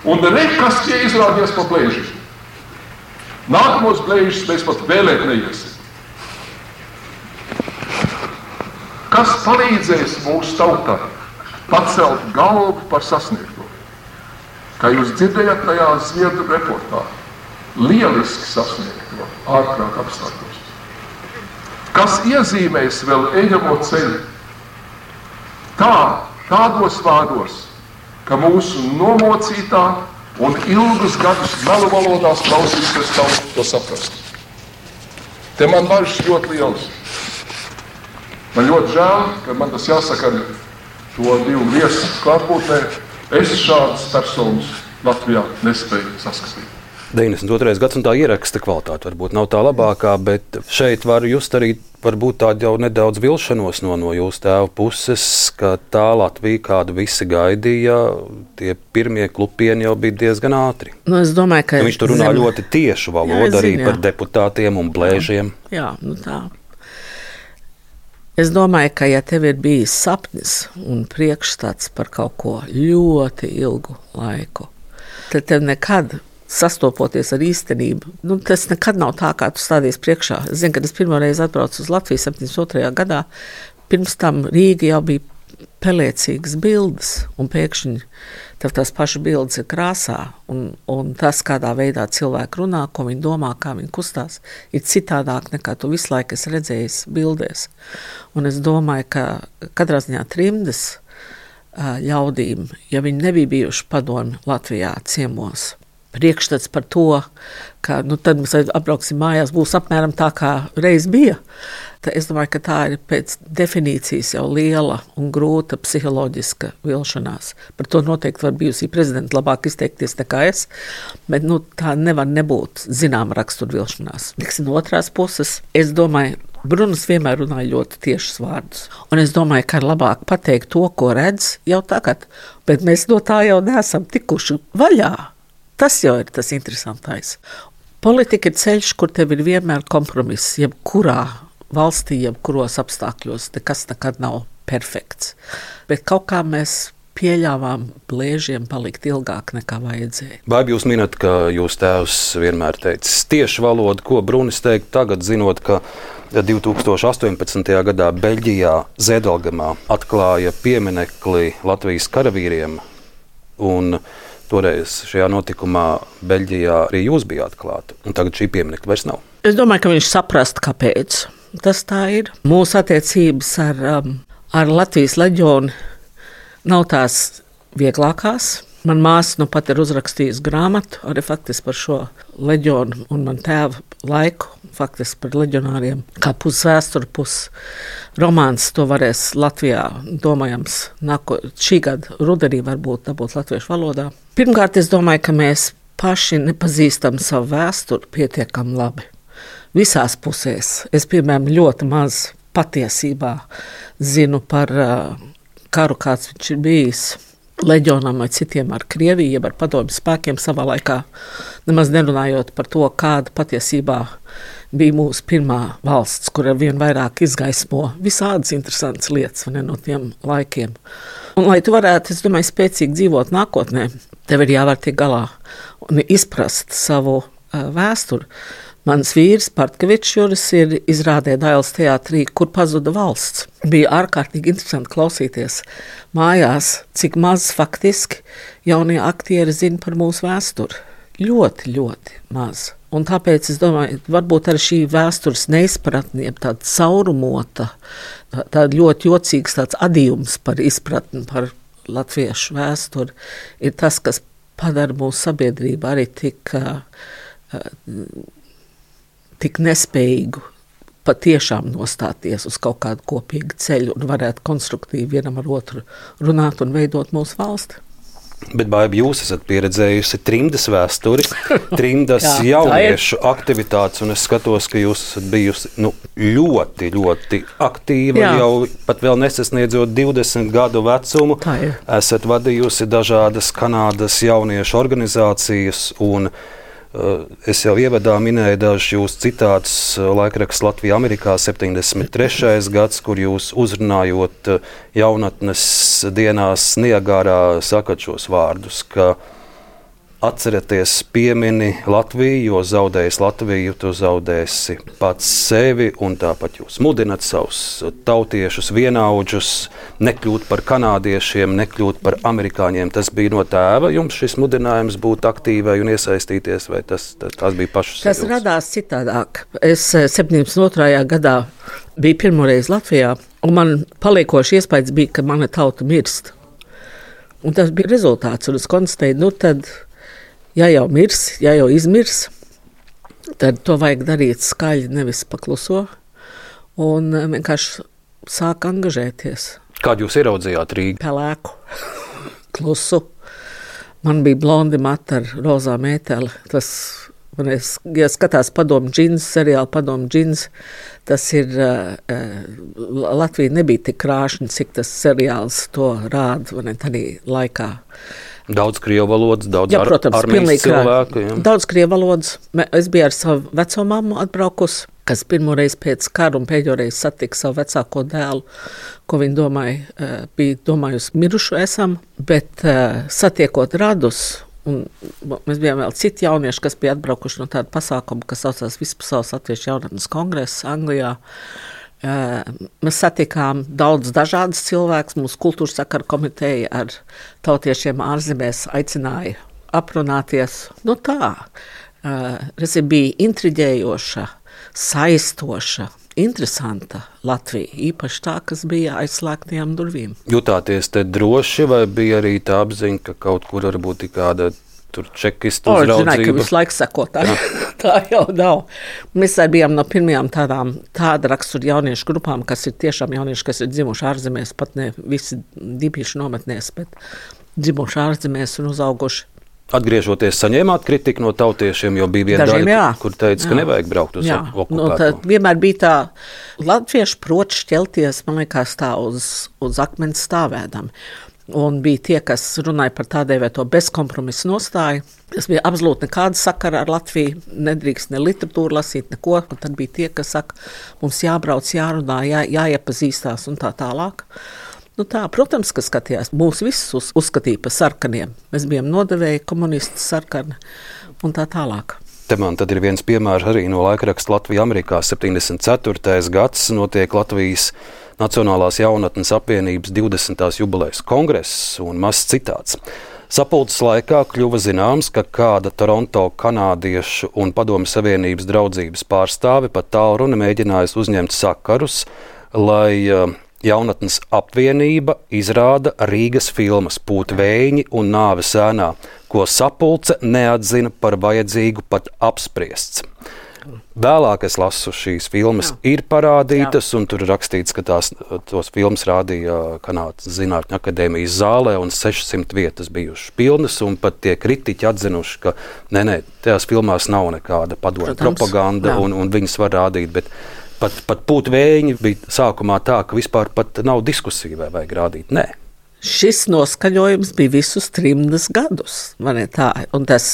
Un re, kas tie izrādies pa blēžiem. Nākamos blēžus mēs pat vēlēt neiesim. Kas palīdzēs mūsu tautā pacelt galvu par sasniegto? Kā jūs dzirdējat tajā Zviedru reportā, lieliski sasniegto ārprāt apstākļos. Kas iezīmēs vēl ejamo ceļu? Tā, tādos vārdos, ka mūsu nomocītā un ilgus gadus melu valodās klausīsies tautu to saprast. Te man bažas ļoti liels. Man ļoti žēl, ka man tas jāsaka ar to divu viesu klātbūtnē. Es šādas personas Latvijā nespēju saskatīt. deviņdesmit otrais gads un tā ieraksta kvalitāte varbūt nav tā labākā, bet šeit var just arī varbūt tādu jau nedaudz vilšanos no, no jūsu tēva puses, ka tā Latvija, kādu visi gaidīja, tie pirmie klupieni jau bija diezgan ātri. Nu, es domāju, ka... Viņš tur runā zem... ļoti tiešu valodu jā, arī zinu, par deputātiem un blēžiem. Jā, jā nu tā. Es domāju, ka ja tev ir bijis sapnis un priekšstats par kaut ko ļoti ilgu laiku, tad tev nekad sastopoties ar īstenību, nu, tas nekad nav tā, kā tu stādies priekšā. Es zinu, kad es pirmo reizi atbraucu uz Latviju septiņdesmit otrajā gadā, pirms tam Rīga jau bija pelēcīgas bildes, un pēkšņi tev tās pašas bildes ir krāsā, un, un tas, kādā veidā cilvēki runā, ko viņi domā, kā viņi kustās, ir citādāk nekā tu visu laiku esi redzējis bildēs. Un es domāju, ka katrā ziņā trimdes ļaudīm, ja viņi nebija bijuši padomi Latvijā ciemos, priekšstats par to, ka nu, tad mēs apbrauksim mājās, būs apmēram tā, kā reiz bija. Tad es domāju, ka tā ir pēc definīcijas jau liela un grūta psiholoģiska vilšanās. Par to noteikti var bijusī prezidenta labāk izteikties nekā es, bet nu, tā nevar nebūt zināma rakstura vilšanās. Tiksim, no otrās puses, es domāju, Brunis vienmēr runāja ļoti tiešus vārdus. Un es domāju, ka ir labāk pateikt to, ko redz jau tagad, bet mēs no tā jau neesam tikuši vaļā. Tas jau ir tas interesantais. Politika ir ceļš, kur tev ir vienmēr kompromiss, jebkurā valstī, jebkuros apstākļos, nekas nekad nav perfekts. Bet kaut kā mēs pieļāvām blēžiem palikt ilgāk nekā vajadzēja. Baiba, jūs minat, ka jūs tēvs vienmēr teicis tieši valodu, ko Brunis teikt tagad, zinot, ka divi tūkstoši astoņpadsmitajā gadā Beļģijā Zēdelgamā atklāja pieminekli Latvijas karavīriem, un toreiz šajā notikumā Beļģijā arī jūs bijāt klāt, un tagad šī pieminekļa vairs nav. Es domāju, ka viņš saprast, kāpēc tas tā ir. Mūsu attiecības ar, um, ar Latvijas leģionu nav tās vieglākās. Man māsa nu pat ir uzrakstījusi grāmatu arī faktiski par šo leģionu un man tēva laiku, faktiski par leģionāriem, kā pusvēsturi, pus romāns. To varēs Latvijā, domājams, nāko, šī gada rudenī varbūt dabūt latviešu valodā. Pirmkārt, es domāju, ka mēs paši nepazīstam savu vēsturi pietiekami labi. Visās pusēs. Es, piemēram, ļoti maz patiesībā zinu par uh, karu, kāds viņš ir bijis leģionam vai citiem ar Krieviju, jeb ar padomju spēkiem savā laikā, nemaz nerunājot par to, kāda patiesībā bija mūsu pirmā valsts, kur ar vien vairāk izgaismo visādas interesantas lietas ne, no tiem laikiem. Un, lai tu varētu, es domāju, spēcīgi dzīvot nākotnē, tev ir jāvar tiek galā un izprast savu uh, vēsturi. Mans vīrs, Partkevičs Juris, ir izrādē Dailes teātrī, kur pazuda valsts. Bija ārkārtīgi interesanti klausīties mājās, cik maz faktiski jaunie aktieri zina par mūsu vēsturi. Ļoti, ļoti maz. Un tāpēc es domāju, varbūt arī šī vēstures neizpratne, tāda caurumota, tāda ļoti jocīgs tāds adījums par izpratni par latviešu vēsturi, ir tas, kas padara mūsu sabiedrību arī tik... Uh, tik nespējīgu patiešām nostāties uz kaut kādu kopīgu ceļu un varētu konstruktīvi vienam ar otru runāt un veidot mūsu valsti. Bet, Baiba, jūs esat pieredzējusi trimdas vēsturi, trimdas Jā, jauniešu aktivitātes, un es skatos, ka jūs esat bijusi nu, ļoti, ļoti aktīva, Jā. Jau pat vēl nesasniedzot divdesmit gadu vecumu. Esat vadījusi dažādas Kanādas jauniešu organizācijas un es jau ievadā minēju dažus jūsu citātus laikraksts Latvija Amerikā septiņdesmit trešais gads, kur jūs uzrunājot jaunatnes dienās Niagārā sakat šos vārdus, ka atcerieties piemini Latviju, jo zaudējis Latviju, tu zaudēsi pats sevi, un tāpat jūs mudinat savus tautiešus, vienaudžus, nekļūt par kanādiešiem, nekļūt par amerikāņiem. Tas bija no tēva jums šis mudinājums būt aktīvai un iesaistīties, vai tas, tas, tas bija pašas Tas sajūtas? Radās citādāk. Es septiņdesmit otrajā gadā biju pirmoreiz Latvijā, un man paliekoši iespējas bija, ka mana tauta mirst. Un tas bija rezultāts, un es konstatēju, nu tad ja jau mirs, ja jau izmirs, tad to vajag darīt skaļi, nevis pakluso, un vienkārši sāk angažēties. Kādu jūs ieraudzījāt Rīgā? Pelēku, klusu. Man bija blondi mati ar rozā mēteli. Tas, man es, ja skatās Padomu džins, seriāli Padomu džins, tas ir, uh, Latvija nebija tik krāšņa, cik tas seriāls to rāda, vai ne, tādā laikā. Daudz krievu valodas, daudz jā, protams, ar, armijas cilvēku. Jā. Daudz krievu valodas. Es biju ar savu veco mammu atbraukus, kas pirmoreiz pēc kara un pēdējoreiz satika savu vecāko dēlu, ko viņa domāja, bija domājusi mirušu esam, bet satiekot radus, un mēs bijām vēl citi jaunieši, kas bija atbraukuši no tāda pasākuma, kas saucās Vispasaules Latviešu jaunatnes kongress Anglijā. Mēs satikām daudz dažādas cilvēkus. Mūsu kultūras sakaru komiteja ar tautiešiem ārzemēs aicināja aprunāties. Nu tā, tas bija intriģējoša, saistoša, interesanta Latvija, īpaši tā, kas bija aizslēgtajām durvīm. Jutāties te droši, vai bija arī tā apziņa, ka kaut kur varbūt ir kāda tur čekistu o, uzraudzība? Zināju, ka visu laiku sako tā, tā jau nav. Mēs arī bijām no pirmajām tādām tāda rakstura jauniešu grupām, kas ir tiešām jaunieši, kas ir dzimuši ārzemēs, pat ne visi dibīšu nometnēs, bet dzimuši ārzemēs un uzauguši. Atgriežoties, saņēmāt kritiku no tautiešiem, jo bija viena daļa, kur teica, jā. Ka nevajag braukt uz okupēto. Nu, tad vienmēr bija tā, latvieši prot šķelties, man liekas, tā uz, uz akmens stāvēdam. Un bija tie, kas runāja par tādēvēto bezkompromisu nostāju. Tas bija absolūti nekāda sakara ar Latviju, nedrīkst ne literatūru lasīt, neko. Un tad bija tie, kas saka, mums jābrauc, jārunā, jā, jāiepazīstās un tā tālāk. Nu tā, protams, ka skatījās, mūs visus uz, uzskatīja par sarkaniem. Mēs bijām nodevēji, komunisti, sarkani un tā tālāk. Te man tad ir viens piemērs arī no laikraksta Latvija Amerikā septiņdesmit ceturtais gads notiek Latvijas Nacionālās jaunatnes apvienības divdesmitās jubilejas kongress un mazs citāts. Sapulces laikā kļuva zināms, ka kāda Toronto kanādiešu un Padomju Savienības draudzības pārstāve pat tālruni mēģinājusi uzņemt sakarus, lai uh, Jaunatnes apvienība izrāda Rīgas filmas Pūtvējiņi un Nāves ēnā, ko sapulce neatzina par vajadzīgu pat apspriests. Vēlāk es lasu šīs filmas, jā. Ir parādītas, jā. Un tur rakstīts, ka tās, tos filmas rādīja Kanādas Zinātņu akadēmijas zālē un sešsimt vietas bijušas pilnas, un pat tie kritiķi atzinuši, ka nē, nē, tajās filmās nav nekāda padomju propaganda, un, un viņas var rādīt, bet pat, pat Pūtvējiņi bija sākumā tā, ka vispār pat nav diskusija, vai vajag rādīt, nē. Šis noskaņojums bija visus trimdas gadus. Man ir tā, un tas,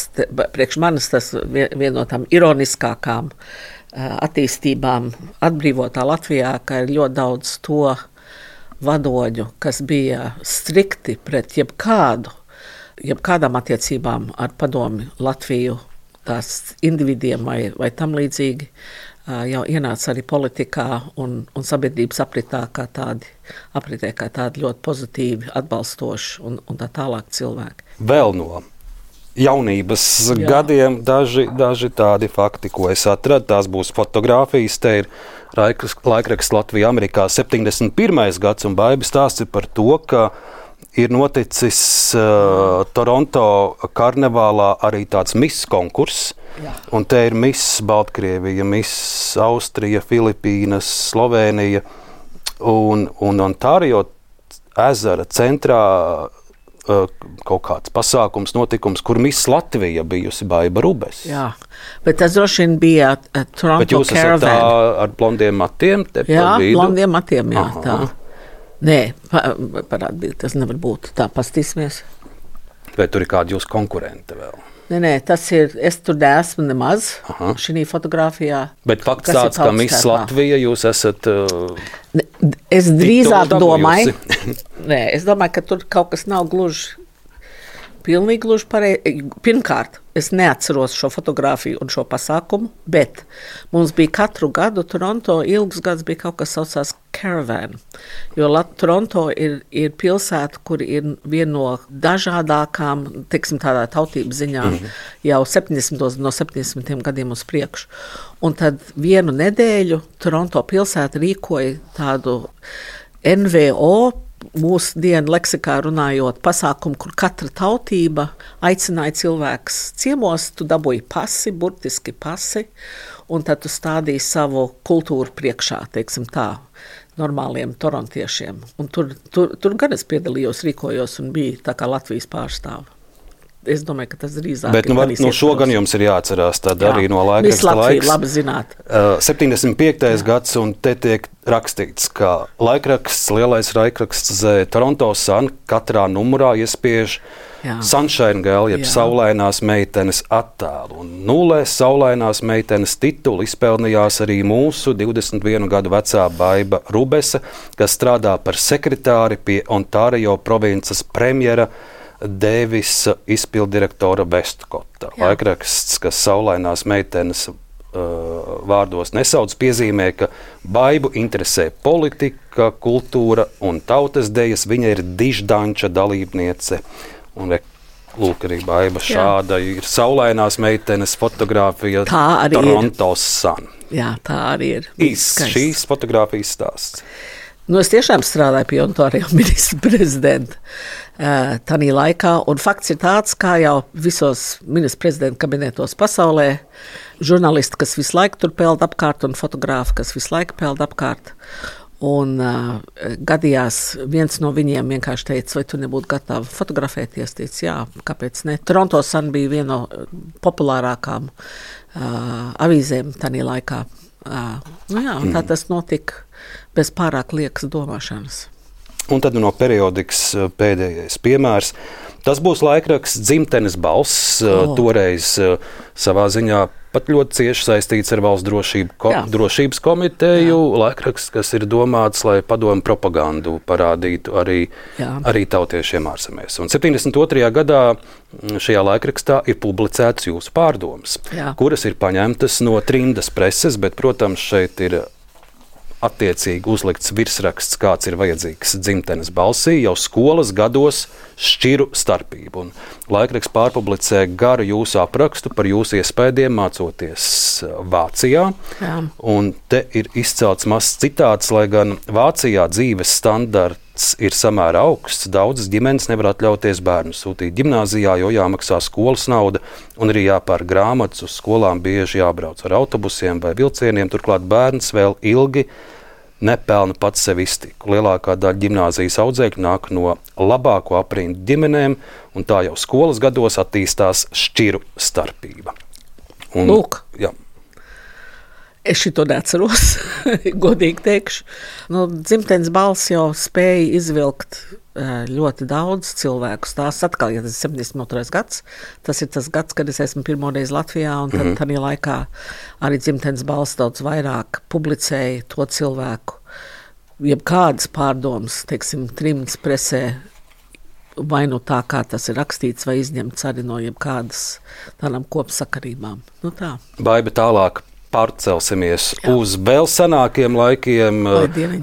priekš manis, tas viena no tām ironiskākām attīstībām atbrīvotā Latvijā, ka ir ļoti daudz to vadoņu, kas bija strikti pret jebkādu, jebkādām attiecībām ar padomi Latviju, tās individiem vai, vai tam līdzīgi, jau ienāca arī politikā un, un sabiedrības apritā kā tādi, apritē kā tādi ļoti pozitīvi, atbalstoši un, un tā tālāk cilvēki. Vēl no jaunības Jā. gadiem daži, daži tādi fakti, ko es atradu, tās būs fotogrāfijas, te ir laikraksts Latvija Amerikā septiņdesmit pirmais gads, un Baiba stāsts ir par to, ka ir noticis uh, Toronto karnevālā arī tāds miss konkurss, Jā. Un te ir miss Baltkrievija, miss Austrija, Filipīnas, Slovēnija un, un Ontārio ezera centrā uh, kaut kāds pasākums, notikums, kur miss Latvija bijusi Baiba Rubes. Jā, bet tas droši vien bija uh, Toronto Bet jūs Caravan. esat tā ar blondiem matiem? Te jā, par vidu? blondiem matiem, jā, Aha. tā. Nē, pa, parādīt, tas nevar būt. Tā, pastīsimies. Vai tur ir kādi jūsu konkurenti vēl? Nē, nē, tas ir, es tur neesmu nemaz Aha. šī fotogrāfijā. Bet fakts tāds, ka miss Latvija jūs esat uh, ne, es drīzāk domāju, nē, es domāju, ka tur kaut kas nav gluži, pilnīgi gluži pareizi. Pirmkārt, es neatceros šo fotogrāfiju un šo pasākumu, bet mums bija katru gadu Toronto, ilgus gadus bija kaut kas saucās Caravan, jo Lat- Toronto ir, ir pilsēta, kur ir viena no dažādākām, teiksim tādā tautības ziņā, mm-hmm. jau septiņdesmitos no septiņdesmitiem gadiem uz priekšu. Un tad vienu nedēļu Toronto pilsēta rīkoja tādu N V O, mūsu dienu leksikā runājot, pasākumu, kur katra tautība aicināja cilvēkus ciemos, tu dabūji pasi, burtiski pasi, un tad tu stādīji savu kultūru priekšā, teiksim tā, normāliem torontiešiem. Un tur, tur, tur gan es piedalījos, rīkojos un biju tā kā Latvijas pārstāva. Es domāju, ka tas drīzāk Bet, ir. Bet nu, no šo gan jums ir jāatcerās, tad Jā. arī no laikraksta laiks. Labi zināt. Uh, septiņdesmit piektais gads, un te tiek rakstīts, ka laikraksts, lielais laikraksts Toronto Sun katrā numurā iespiež Jā. Sunshine Girl, jeb Jā. saulainās meitenes attēlu. Un nulē saulainās meitenes titulu izpelnījās arī mūsu divdesmit vienu gadu vecā Baiba Rubese, kas strādā par sekretāri pie Ontārio provinces premjera Dēvisa izpildirektora Vestkota. Laikraksts, kas saulainās meitenes uh, vārdos nesauc, piezīmē, ka Baibu interesē politika, kultūra un tautas dejas. Viņa ir diždanča dalībniece. Un lūk, arī Baiba šāda Jā. ir saulainās meitenes fotogrāfija Toronto Sun. Jā, tā arī ir. Īs šīs fotogrāfijas stāsts. Nu, es tiešām strādāju pie Ontārio ministra prezidenta uh, tanī laikā, un fakts ir tāds, kā jau visos ministra prezidenta kabinetos pasaulē, žurnālisti, kas visu laiku tur peld apkārt, un fotogrāfi, kas visu laiku peld apkārt. Un uh, gadījās viens no viņiem vienkārši teica, vai tu nebūtu gatava fotografēties? Teica, jā, kāpēc ne? Toronto Sun bija viena no populārākām uh, avīzēm tanī laikā. Uh, nu jā, tā tas notika bez pārāk liekas domāšanas. Un tad no periodikas pēdējais piemērs. Tas būs laikraksts Dzimtenes balss, oh. toreiz savā ziņā pat ļoti cieši saistīts ar valsts drošību, ko, drošības komiteju. Jā. Laikraksts, kas ir domāts, lai padomu propagandu parādītu arī, arī tautiešiem ārzemēs. Un septiņdesmit otrajā gadā šajā laikrakstā ir publicēts jūsu pārdomas, Jā. kuras ir paņemtas no trimdas preses, bet, protams, šeit ir attiecīgi uzlikts virsraksts, kāds ir vajadzīgs dzimtenes balsī, jau skolas gados šķiru starpību. Un laikraksts pārpublicē garu jūsu aprakstu par jūsu iespējām mācoties Vācijā. Jā. Un te ir izcelts mazs citāts, lai gan Vācijā dzīves standarts ir samērā augsts, daudzas ģimenes nevar atļauties bērnu sūtīt ģimnāzijā, jo jāmaksā skolas nauda un arī jāpērk grāmatas, uz skolām bieži jābrauc ar autobusiem vai vilcieniem, turklāt bērns vēl ilgi nepelna pats sev iztiku. Lielākā daļa ģimnāzijas audzēkļu nāk no labāko aprindu ģimenēm, un tā jau skolas gados attīstās šķiru starpība. Un, Lūk. Jā. Es šito neatceros, godīgi teikšu. Nu, dzimtenes balss jau spēja izvilkt ļoti daudz cilvēkus. Tās atkal, ja tas ir septiņdesmit otrais gads, tas ir tas gads, kad es esmu pirmoreiz Latvijā, un tad mm-hmm. tādā laikā arī dzimtenes balss daudz vairāk publicēja to cilvēku, jebkādas pārdomas, teiksim, trimds presē, vai nu tā, kā tas ir rakstīts, vai izņemts arī no jebkādas tādām kopsakarībām. Nu tā. Baiba tālāk. Pārcelsimies Jā. Uz vēl senākiem laikiem,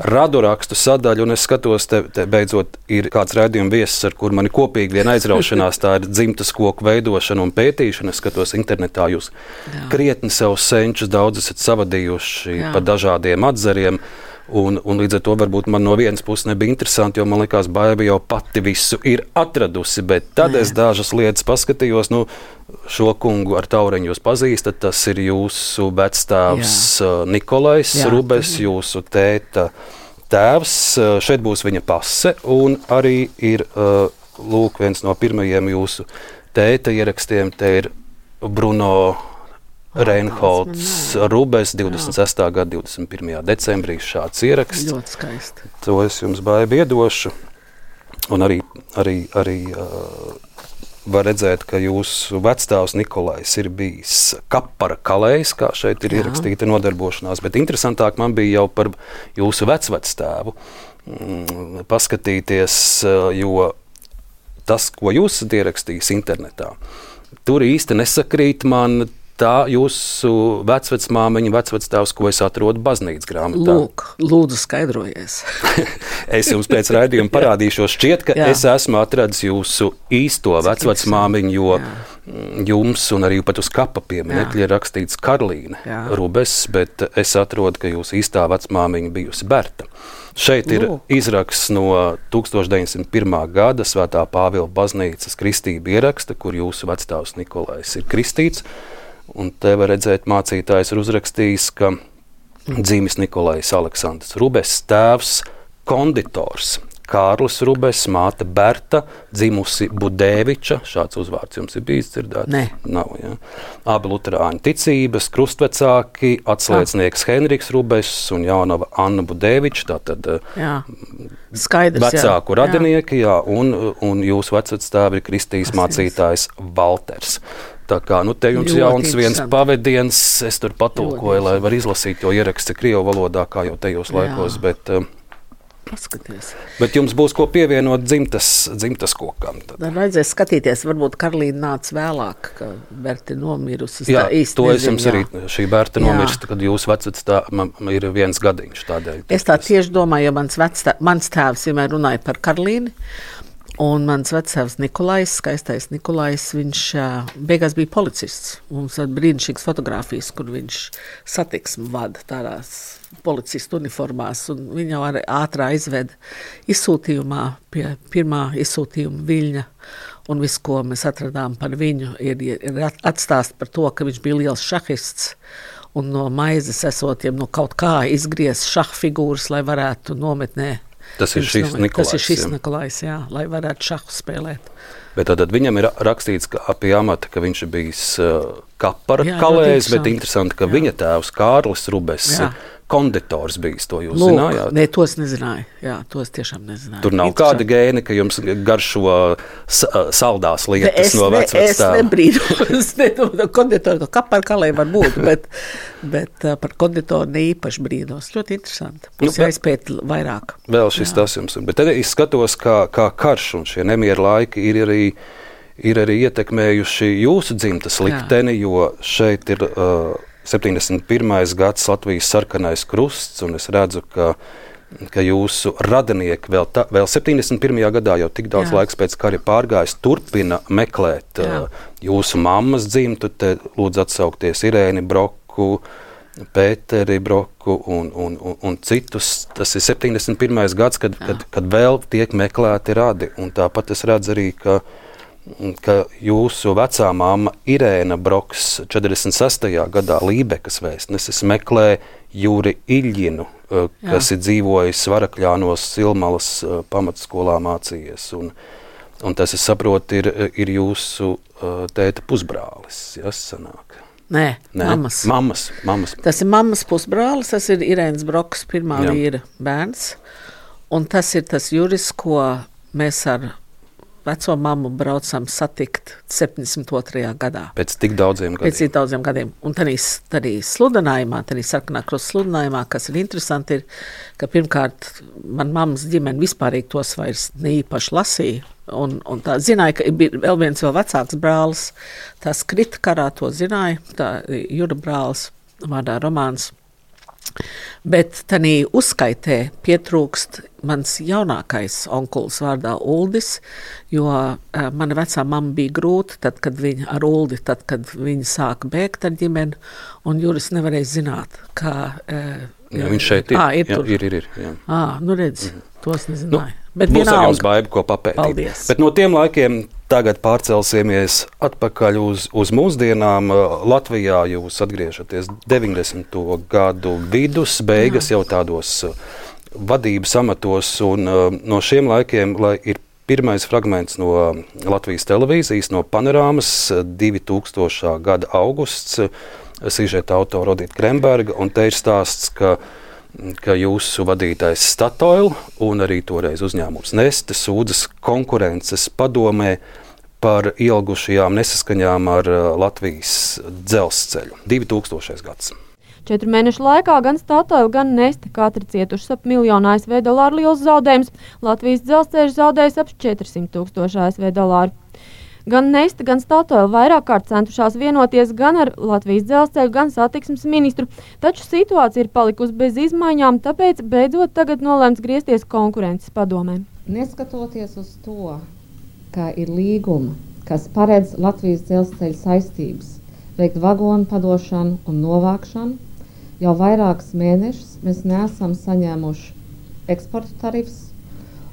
radurakstu sadaļu, un es skatos, te, te beidzot ir kāds raidījuma viesis, ar kur mani kopīgi vien aizraušanās, tā ir dzimtas koku veidošana un pētīšana. Es skatos internetā, jūs Jā. Krietni savus senčus daudz esat savadījuši Jā. Pa dažādiem atzariem. Un, un līdz ar to varbūt man no vienas puses nebija interesanti, jo man likās, Baiba jau pati visu ir atradusi, bet tad Nē. Es dažas lietas paskatījos, nu, šo kungu ar taureņu jūs pazīstat, tas ir jūsu vecstāvs Jā. Nikolais Jā. Rubes, jūsu tēta tēvs, šeit būs viņa pase, un arī ir, lūk, viens no pirmajiem jūsu tēta ierakstiem, te ir Bruno Reinholds Rubes, divdesmit sestā gada divdesmit pirmajā decembrī šāds ieraksts. Ļoti skaisti. To es jums Baiba iedošu. Un arī, arī, arī uh, var redzēt, ka jūsu vecstāvs Nikolais ir bijis kapara kalējs, kā šeit ir Jā. Ierakstīta nodarbošanās. Bet interesantāk man bija jau par jūsu vecvectēvu mm, paskatīties, jo tas, ko jūs esat ierakstījis internetā, tur īsti nesakrīt man tā jūsu vecvecmāmiņa, vecvectēvs, ko es atrodu baznīcas grāmatā. Lūk, lūdzu skaidrojies. Es jums pēc raidījuma parādīšos. Šķiet, ka Jā. Es esmu atradis jūsu īsto vecvecmāmiņu, jo Jā. Jums un arī pat uz kapa pieminekļa ir rakstīts Karlīne Jā. Rubes, bet es atrodu, ka jūsu īstā vecmāmiņa bijusi Berta. Šeit ir Lūk. Izraksts no tūkstoš deviņsimt pirmā gada Svētā Pāvila baznīcas kristība ieraksta, kur jūsu vecstāvs Nikolais ir kristīts. Un te var redzēt, mācītājs ir uzrakstījis, ka dzimis Nikolais Aleksandrs Rubes, tēvs konditors Kārlis Rubes, māte Berta, dzimusi Budēviča, šāds uzvārds jums ir bijis dzirdēts? Nē. Nav, jā. Abi luterāņu ticības, krustvecāki, atslēdznieks Henriks Rubes un jaunava Anna Budēviča, tātad jā. Skaidrs, vecāku jā. radinieki, jā, un, un jūsu vecvectēvi ir kristījis mācītājs Valters. Tā kā, nu, te jums ļoti jauns viens pavediens, es tur patulkoju, lai var izlasīt, jo ieraksts ir krievu valodā, kā jau tajos laikos, bet, Paskaties. bet jums būs ko pievienot dzimtas, dzimtas kokam. Tad. Tad vajadzēs skatīties, varbūt Karlīna nāca vēlāk, ka Berta nomirusi. Jā, īsti to nezinu, es jums jā. arī, šī Berta nomirst, kad jūsu vecvec tā ir viens gadiņš tādēļ. Es tā tieši domāju, jo mans, vectā, mans tēvs vienmēr runāja par Karlīni, un mans vectēvs Nikolais, skaistais Nikolais, viņš beigās bija policists. Mums ir brīnišķīgas fotogrāfijas, kur viņš satiksmi vada tādās policistu uniformās, un viņa jau arī ātrā izveda izsūtījumā pie pirmā izsūtījuma Viļņa, un viss, ko mēs atradām par viņu, ir, ir atstāst par to, ka viņš bija liels šahists, un no maizes esotiem no kaut kā izgriez šahfigūras, lai varētu nometnē. Tas ir šis Nikolais. Tas ir šis Nikolais, jā, lai varētu šahu spēlēt. Bet tad viņam ir rakstīts, ka pie amata, ka viņš ir bijis uh, kapara jā, kalējs, bet interesanti, ka jā. Viņa tēvs Kārlis Rubes jā. Konditors bijis, to jūs Lūk, zinājāt? Nē, to es nezināju. Jā, to es tiešām nezināju. Tur nav kāda gēni, ka jums garšo saldās lietas es no vecvectēva. Es nebrīdos, ne, konditoru, ka par kalēju var būt, bet, bet par konditoru ne īpaši brīdos. Ļoti interesanti. Mums nu, jāizpēt vairāk. Vēl šis jā. Tas jums. Bet tad es skatos, kā, kā karš un šie nemieru laiki ir arī, ir arī ietekmējuši jūsu dzimtas likteni, jo šeit ir uh, septiņdesmit pirmais gads Latvijas sarkanais krusts, un es redzu, ka, ka jūsu radinieki vēl, ta, vēl septiņdesmit pirmajā gadā, jau tik daudz Jā. laiks pēc kara pārgājis, turpina meklēt Jā. jūsu mammas dzimtu, te lūdzu atsaukties Irēni Broku, Pēteri Broku un, un, un, un citus. Tas ir septiņdesmit pirmais gads, kad, kad, kad vēl tiek meklēti radi, un tāpat es redzu arī, ka ka jūsu vecā mamma Irēna Broks četrdesmit sestajā gadā Lībekas vēstneses meklē Juri Iļģinu, kas Jā. ir dzīvojis Varakļānos Silmalas pamatskolā mācījies. Un, un tas, es saprotu, ir, ir jūsu tēta pusbrālis, ja, sanāk. Nē, Nē, mammas. mammas. Mammas. Tas ir mammas pusbrālis, tas ir Irēnas Broks pirmā Jā. vīra bērns. Un tas ir tas Juris, ko mēs ar veco mammu braucam satikt septiņdesmit otrajā gadā. Pēc tik daudziem gadiem. Pēc tik daudziem gadiem. Un tad arī sludinājumā, tad arī sarkanā krusta sludinājumā, kas ir interesanti, ir, ka pirmkārt man mammas ģimene vispārīgi tos vairs neīpaši lasīja. Un, un tā zināja, ka bija vēl viens vēl vecāks brālis. Tas krita karā, to zināja. Tā Jura brālis vārdā Romāns. Bet tanī uzskaitē pietrūkst mans jaunākais onkulis vārdā Uldis, jo uh, mana vecā mamma bija grūta, tad, kad viņa ar Uldi, tad, kad viņa sāka bēgt ar ģimeni, un Juris nevarēja zināt, kā... Uh, jā, viņš šeit ir. À, ir, jā, ir, ir, ir jā. À, nu redz, mm. tos nezināju. Nu, Bet būs arī jums baiba, ko papētīt. Paldies. Bet no tiem laikiem tagad pārcelsimies atpakaļ uz, uz mūsdienām. Latvijā jūs atgriežaties deviņdesmito gadu vidus, beigas Jā. jau tādos vadības amatos, un no šiem laikiem, lai ir pirmais fragments no Latvijas televīzijas, no Panorāmas, divi tūkstošā gada augusts, sižeta autora Odita Kremberga, un te ir stāsts, ka ka jūsu vadītājs Statoil un arī toreiz uzņēmums Neste sūdzas konkurences padomē par ielgušajām nesaskaņām ar Latvijas dzelzceļu. divi tūkstošais gads. Četru mēnešu laikā gan Statoil, gan Neste katra cietušas ap miljonu A S V dolāru liels zaudējums. Latvijas dzelzceļš zaudējis ap četrsimt tūkstoši A S V dolāru. Gan Neste, gan Statoil vairāk kārt centušās vienoties gan ar Latvijas dzelzceļu, gan satiksmes ministru, taču situācija ir palikusi bez izmaiņām, tāpēc beidzot tagad nolēmts griezties konkurences padomē. Neskatoties uz to, ka ir līguma, kas paredz Latvijas dzelzceļa saistības veikt vagonu padošanu un novākšanu, jau vairākus mēnešus mēs neesam saņēmuši eksporta tarifus,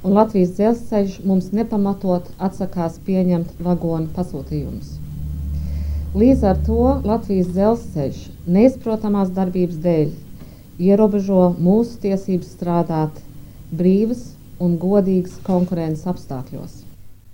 un Latvijas dzelzceļš mums nepamatot atsakās pieņemt vagonu pasūtījumus. Līdz ar to Latvijas dzelzceļš neizprotamās darbības dēļ ierobežo mūsu tiesības strādāt brīvas un godīgas konkurences apstākļos.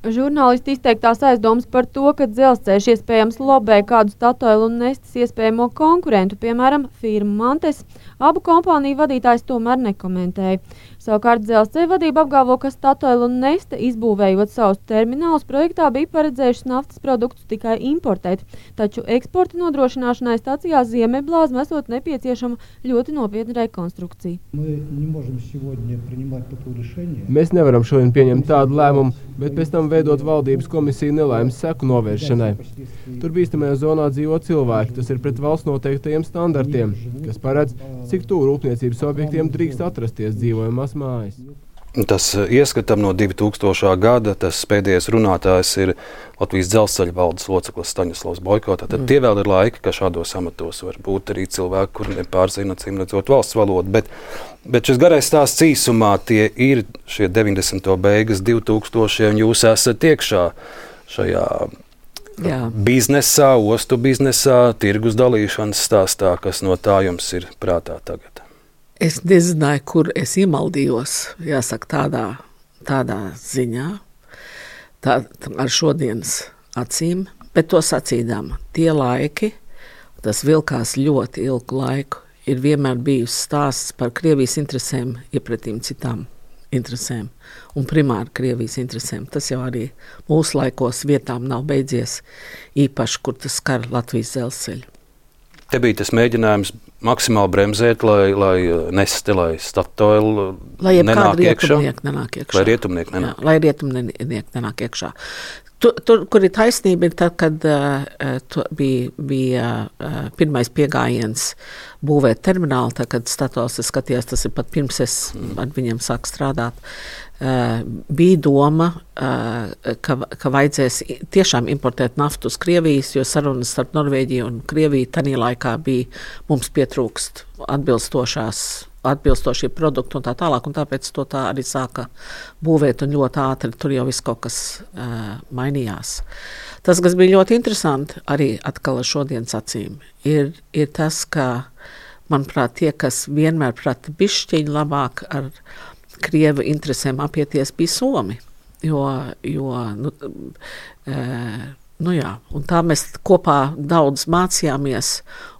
Žurnālisti izteiktās aizdomas par to, ka dzelzceļš iespējams lobē kādu Statoil un Nestes iespējamo konkurentu, piemēram, firmu Mantes, abu kompāniju vadītājs tomēr nekomentēja. Savukārt dzelzceļa vadība apgalvo, ka Statoil un Neste, izbūvējot savus terminālus, projektā bija paredzējušas naftas produktus tikai importēt, taču eksporta nodrošināšanai stacijā Ziemeļblāzma esot nepieciešama ļoti nopietna rekonstrukcija. Mēs nevaram šodien pieņemt tādu lēmumu, bet pēc tam veidot valdības komisiju nelaimes seku novēršanai. Tur bīstamajā zonā dzīvo cilvēki, tas ir pret valsts noteiktajiem standartiem, kas paredz, cik tuvu rūpniecības objektiem drīkst atrasties dzīvojamās mājas. Tas ieskatam no divi tūkstošā gada, tas pēdējais runātājs ir Latvijas dzelzceļa valdes loceklis Staņislavs Boiko. Tad mm. tie vēl ir laiki, ka šādos amatos var būt arī cilvēki, kuri nepārzina, acīm redzot, valsts valodu. Bet, bet šis garais stāsts īsumā, tie ir šie deviņdesmito beigas, divi tūkstošie, un jūs esat iekšā šajā Jā. biznesā, ostu biznesā, tirgus dalīšanas stāstā, kas no tā jums ir prātā tagad. Es nezināju, kur es iemaldījos, jāsaka, tādā, tādā ziņā, tā, ar šodienas acīm, bet to sacīdām. Tie laiki, tas vilkās ļoti ilgu laiku, ir vienmēr bijusi stāsts par Krievijas interesēm iepretīm citām interesēm, un primāri Krievijas interesēm. Tas jau arī mūsu laikos vietām nav beidzies, īpaši, kur tas skar Latvijas dzelzceļu. Te bija tas mēģinājums maksimāli bremzēt, lai, lai Neste, lai Statoil lai nenāk iekšā. Nenāk iekšā. Lai rietumnieki nenāk. Jā, lai rietumnieki nenāk iekšā. Tur, tur, kur ir taisnība, ir tad, kad uh, bija, bija uh, pirmais piegājiens būvēt terminālu, tad, kad Statoils skatījās, tas ir pat pirms es ar viņiem sāku strādāt, uh, bija doma, uh, ka, ka vajadzēs tiešām importēt naftu uz Krievijas, jo sarunas starp Norvēģiju un Krieviju tanī laikā bija mums pietrūkst atbilstošās atbilstošie produkti un tā tālāk, un tāpēc to tā arī sāka būvēt un ļoti ātri, tur jau viss kaut kas uh, mainījās. Tas, kas bija ļoti interesanti, arī atkal ar šodienas acīm, ir, ir tas, ka, manuprāt, tie, kas vienmēr prata bišķiņi labāk ar Krievu interesēm apieties, bija Somi, jo, jo nu, uh, nu jā, un tā mēs kopā daudz mācījāmies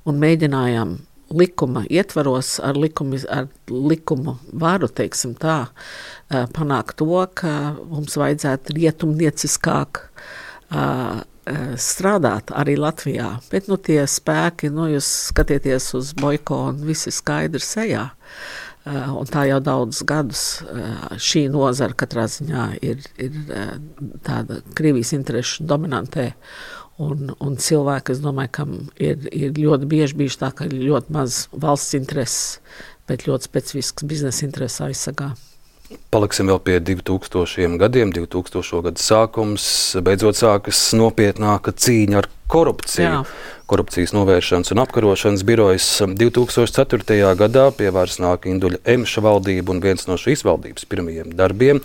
un mēģinājām likuma ietvaros, ar likumu, ar likumu varu, teiksim tā, panākt to, ka mums vajadzētu rietumnieciskāk strādāt arī Latvijā. Bet nu, tie spēki, nu, jūs skatieties uz Boiko un visi skaidri sejā. Un tā jau daudzus gadus šī nozara katrā ziņā ir, ir tāda Krievijas interešu dominantē. Un, un cilvēki, es domāju, kam ir, ir ļoti bieži bijuši tā, ka ir ļoti maz valsts intereses, bet ļoti specifisks biznesa intereses aizsargā. Paliksim vēl pie divtūkstošiem gadiem, divtūkstošo gadu sākums, beidzot sākas nopietnāka cīņa ar korupciju. Jā. Korupcijas novēršanas un apkarošanas birojas divtūkstoš ceturtajā gadā pie varas nāk Induļa Emša valdība, un viens no šīs valdības pirmajiem darbiem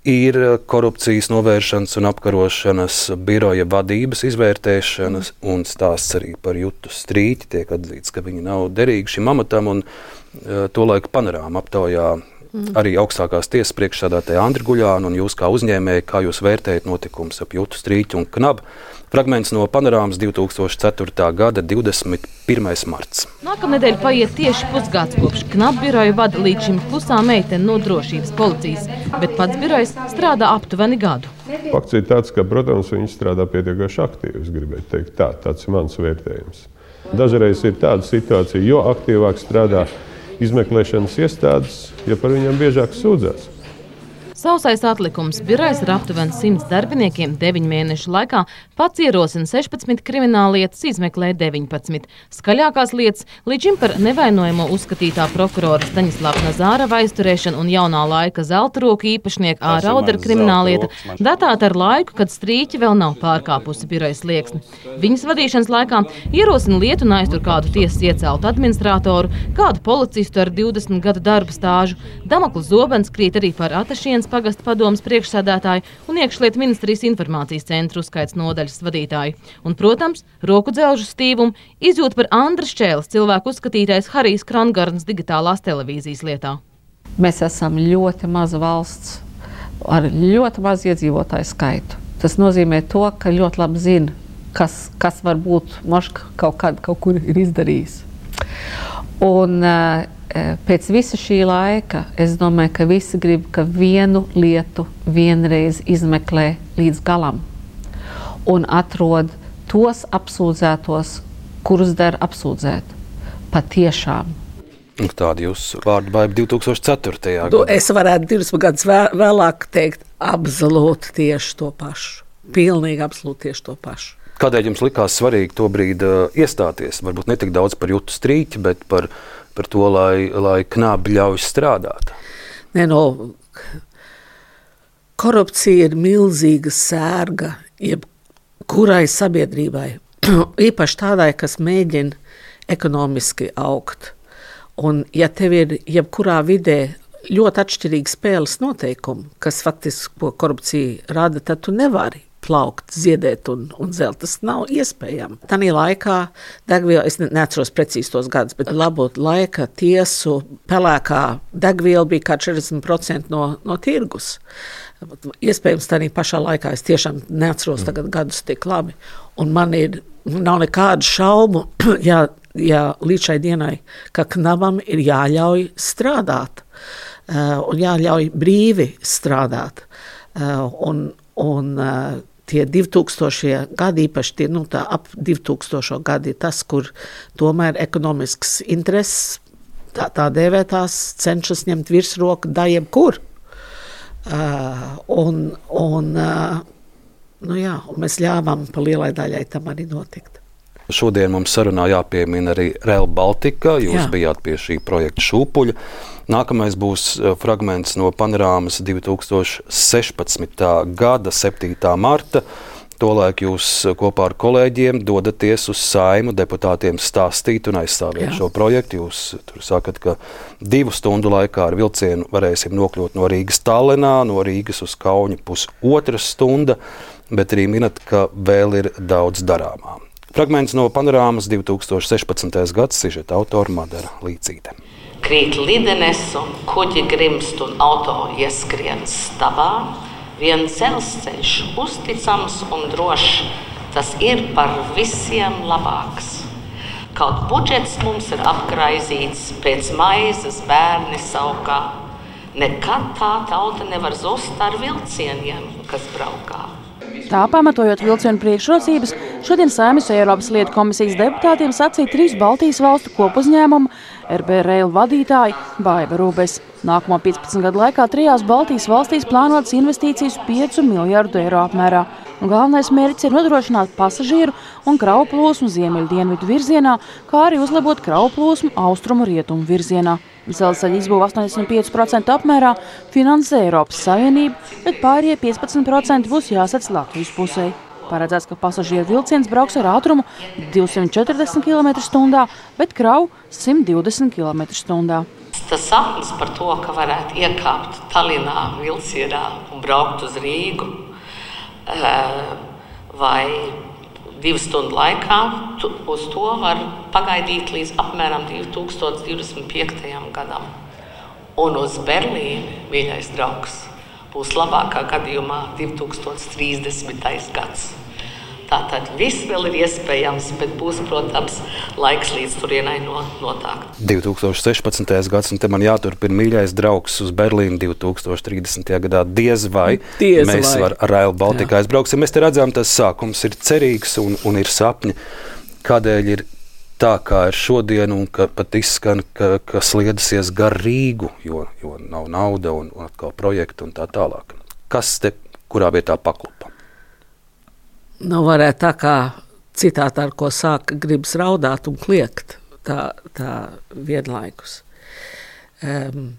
ir korupcijas novēršanas un apkarošanas biroja vadības izvērtēšanas, un stāsts arī par Jutu Strīti. Tiek atzīts, ka viņi nav derīgi šim amatam, un uh, tolaik Panorāma aptaujā mm. arī augstākās tiesas priekšsēdētāja Andri Guļānu, un jūs kā uzņēmēji, kā jūs vērtējat notikums ap Jutu Strīti un Knabu. Fragments no Panorāmas divtūkstoš ceturtā gada divdesmit pirmais marts. Nākamnedēļ paiet tieši pusgads kopš Knabu biroju vada līdz šim klusā meitene no drošības policijas, bet pats birojs strādā aptuveni gadu. Fakts ir tāds, ka, protams, viņš strādā pietiekoši aktīvi, es gribētu teikt tā, tāds ir mans vērtējums. Dažreiz ir tāda situācija, jo aktīvāk strādā izmeklēšanas iestādes, ja par viņiem biežāk sūdzās. Sausais atlikums birojas ar aptuveni simts darbiniekiem deviņu mēnešu laikā pats ierosina sešpadsmit krimināllietas, izmeklē deviņpadsmit. Skaļākās lietas līdz šim par nevainojamo uzskatītā prokurora Staņislava Nazārava aizturēšana un jaunā laika zelta roku īpašnieka Ā. Raudera krimināllieta datēta ar laiku, kad Strīķi vēl nav pārkāpusi birojas slieksni. Viņas vadīšanas laikā ierosina lietu un aiztur kādu tiesas ieceltu administratoru, kādu policistu ar divdesmit gadu darba stāžu. Damoklis zobens krīt arī par Atašienas pagasta padomas priekšsēdētāju un iekšlietu ministrijas informācijas centru uzskaits nodaļas vadītāju. Un, protams, roku dzelžu stīvumu izjūt par Andra Šķēles cilvēku uzskatītais Harijs Krongarns digitālās televīzijas lietā. Mēs esam ļoti maza valsts ar ļoti mazu iedzīvotāju skaitu. Tas nozīmē to, ka ļoti labi zina, kas, kas varbūt moška kaut kad kaut kur ir izdarījis. Un pēc visa šī laika es domāju, ka visi grib, ka vienu lietu vienreiz izmeklē līdz galam un atrod tos apsūdzētos, kurus der apsūdzēt. Patiešām. Tāda jūsu vārdu baiba divtūkstoš ceturtajā gadā. Es varētu divus gadus vēlāk teikt absolūti tieši to pašu. Pilnīgi absolūti tieši to pašu. Kādēļ jums likās svarīgi tobrīd uh, iestāties? Varbūt ne tik daudz par Jutu Strīķi, bet par, par to, lai, lai Knabi ļauj strādāt. Nē, no, korupcija ir milzīga sērga jebkurai sabiedrībai. Īpaši tādai, kas mēģina ekonomiski augt. Un ja tev ir jebkurā vidē ļoti atšķirīgi spēles noteikumi, kas faktiski korupcija rada, tad tu nevari plaukt, ziedēt un, un zelt. Tas nav iespējams. Tanī laikā degviela, es neatceros precīzi tos gadus, bet labot laika tiesu pelēkā degviela bija kā četrdesmit procenti no, no tirgus. Iespējams, tanī pašā laikā es tiešām neatceros tagad gadus tik labi. Un man ir, nav nekādu šaubu, ja, ja līdz šai dienai, ka Knabam ir jāļauj strādāt uh, un jāļauj brīvi strādāt. Uh, un Un uh, tie divtūkstošie gadi, īpaši tie, nu, tā ap divtūkstošo gadi, ir tas, kur tomēr ekonomisks intereses, tā, tā dēvētās, cenšas ņemt virsroku da jebkur. Uh, un, un, uh, Nu jā, un mēs ļāvām pa lielai daļai tam arī notikt. Šodien mums sarunā jāpiemina arī Rail Baltica. Jūs Jā. bijāt pie šī projekta šūpuļa. Nākamais būs fragments no panorāmas divi tūkstoši sešpadsmitā gada septītā marta. Tolaik jūs kopā ar kolēģiem dodaties uz Saimu deputātiem stāstīt un aizstāvēt Jā. Šo projektu. Jūs tur sakat, ka divu stundu laikā ar vilcienu varēsim nokļūt no Rīgas Tallinā, no Rīgas uz Kauņu pusotra stunda, bet arī minat, ka vēl ir daudz darāmā. Fragments no panorāmas divi tūkstoši sešpadsmitais gads, sižeta autora Madara Līcīte. Krīt lidenes un kuģi grimst un auto ieskrien stabā. Vien dzelzceļš uzticams un drošs, tas ir par visiem labāks. Kaut budžets mums ir apgraizīts, pēc maizes bērni saukā. Nekad tā tauta nevar zust ar vilcieniem, kas braukā. Tā pamatojot vilcienu priekšrocības, šodien Saeimas Eiropas lietu komisijas deputātiem sacīja trīs Baltijas valstu kopuzņēmumu R B Rail vadītāji Baiva Rūbes. Nākamo piecpadsmit gadu laikā trijās Baltijas valstīs plānotas investīcijas piecu miljardu eiro apmērā. Un galvenais mērķis ir nodrošināt pasažieru un kravu plūsmu ziemeļu dienvidu virzienā, kā arī uzlabot kravu plūsmu austrumu rietumu virzienā. Dzelzceļa izbūve astoņdesmit pieci procenti apmērā finansē Eiropas Savienība, bet pārējie piecpadsmit procenti būs jāsadz Latvijas pusē. Paredzēts, ka pasažieru vilciens brauks ar ātrumu divsimt četrdesmit kilometru stundā, bet kravu simt divdesmit kilometru stundā. Tas sapnis par to, ka varētu iekāpt Tallinā vilcienā un braukt uz Rīgu vai divu stundu laikā, uz to var pagaidīt līdz apmēram divi tūkstoši divdesmit piektajam gadam. Un uz Berlīni, mīļais draugs, būs labākā gadījumā divi tūkstoši trīsdesmitais gads. Tātad viss vēl ir iespējams, bet būs, protams, laiks līdz turienai notākt. divi tūkstoši sešpadsmitais gads, un te man jāturpina mīļais draugs uz Berlīnu divi tūkstoši trīsdesmitajā gadā. Diez vai Diez mēs vai. ar Rail Baltica aizbrauksim. Mēs te redzam, tas sākums ir cerīgs un, un ir sapņi. Kādēļ ir tā, kā ir šodien, un ka pat izskan, ka, ka sliedasies gar Rīgu, jo, jo nav nauda un, un atkal projektu un tā tālāk. Kas te kurā vietā paklupa? Nu, varētu tā kā citātā, ar ko sāka, gribas raudāt un kliegt, tā, tā vienlaikus. Um,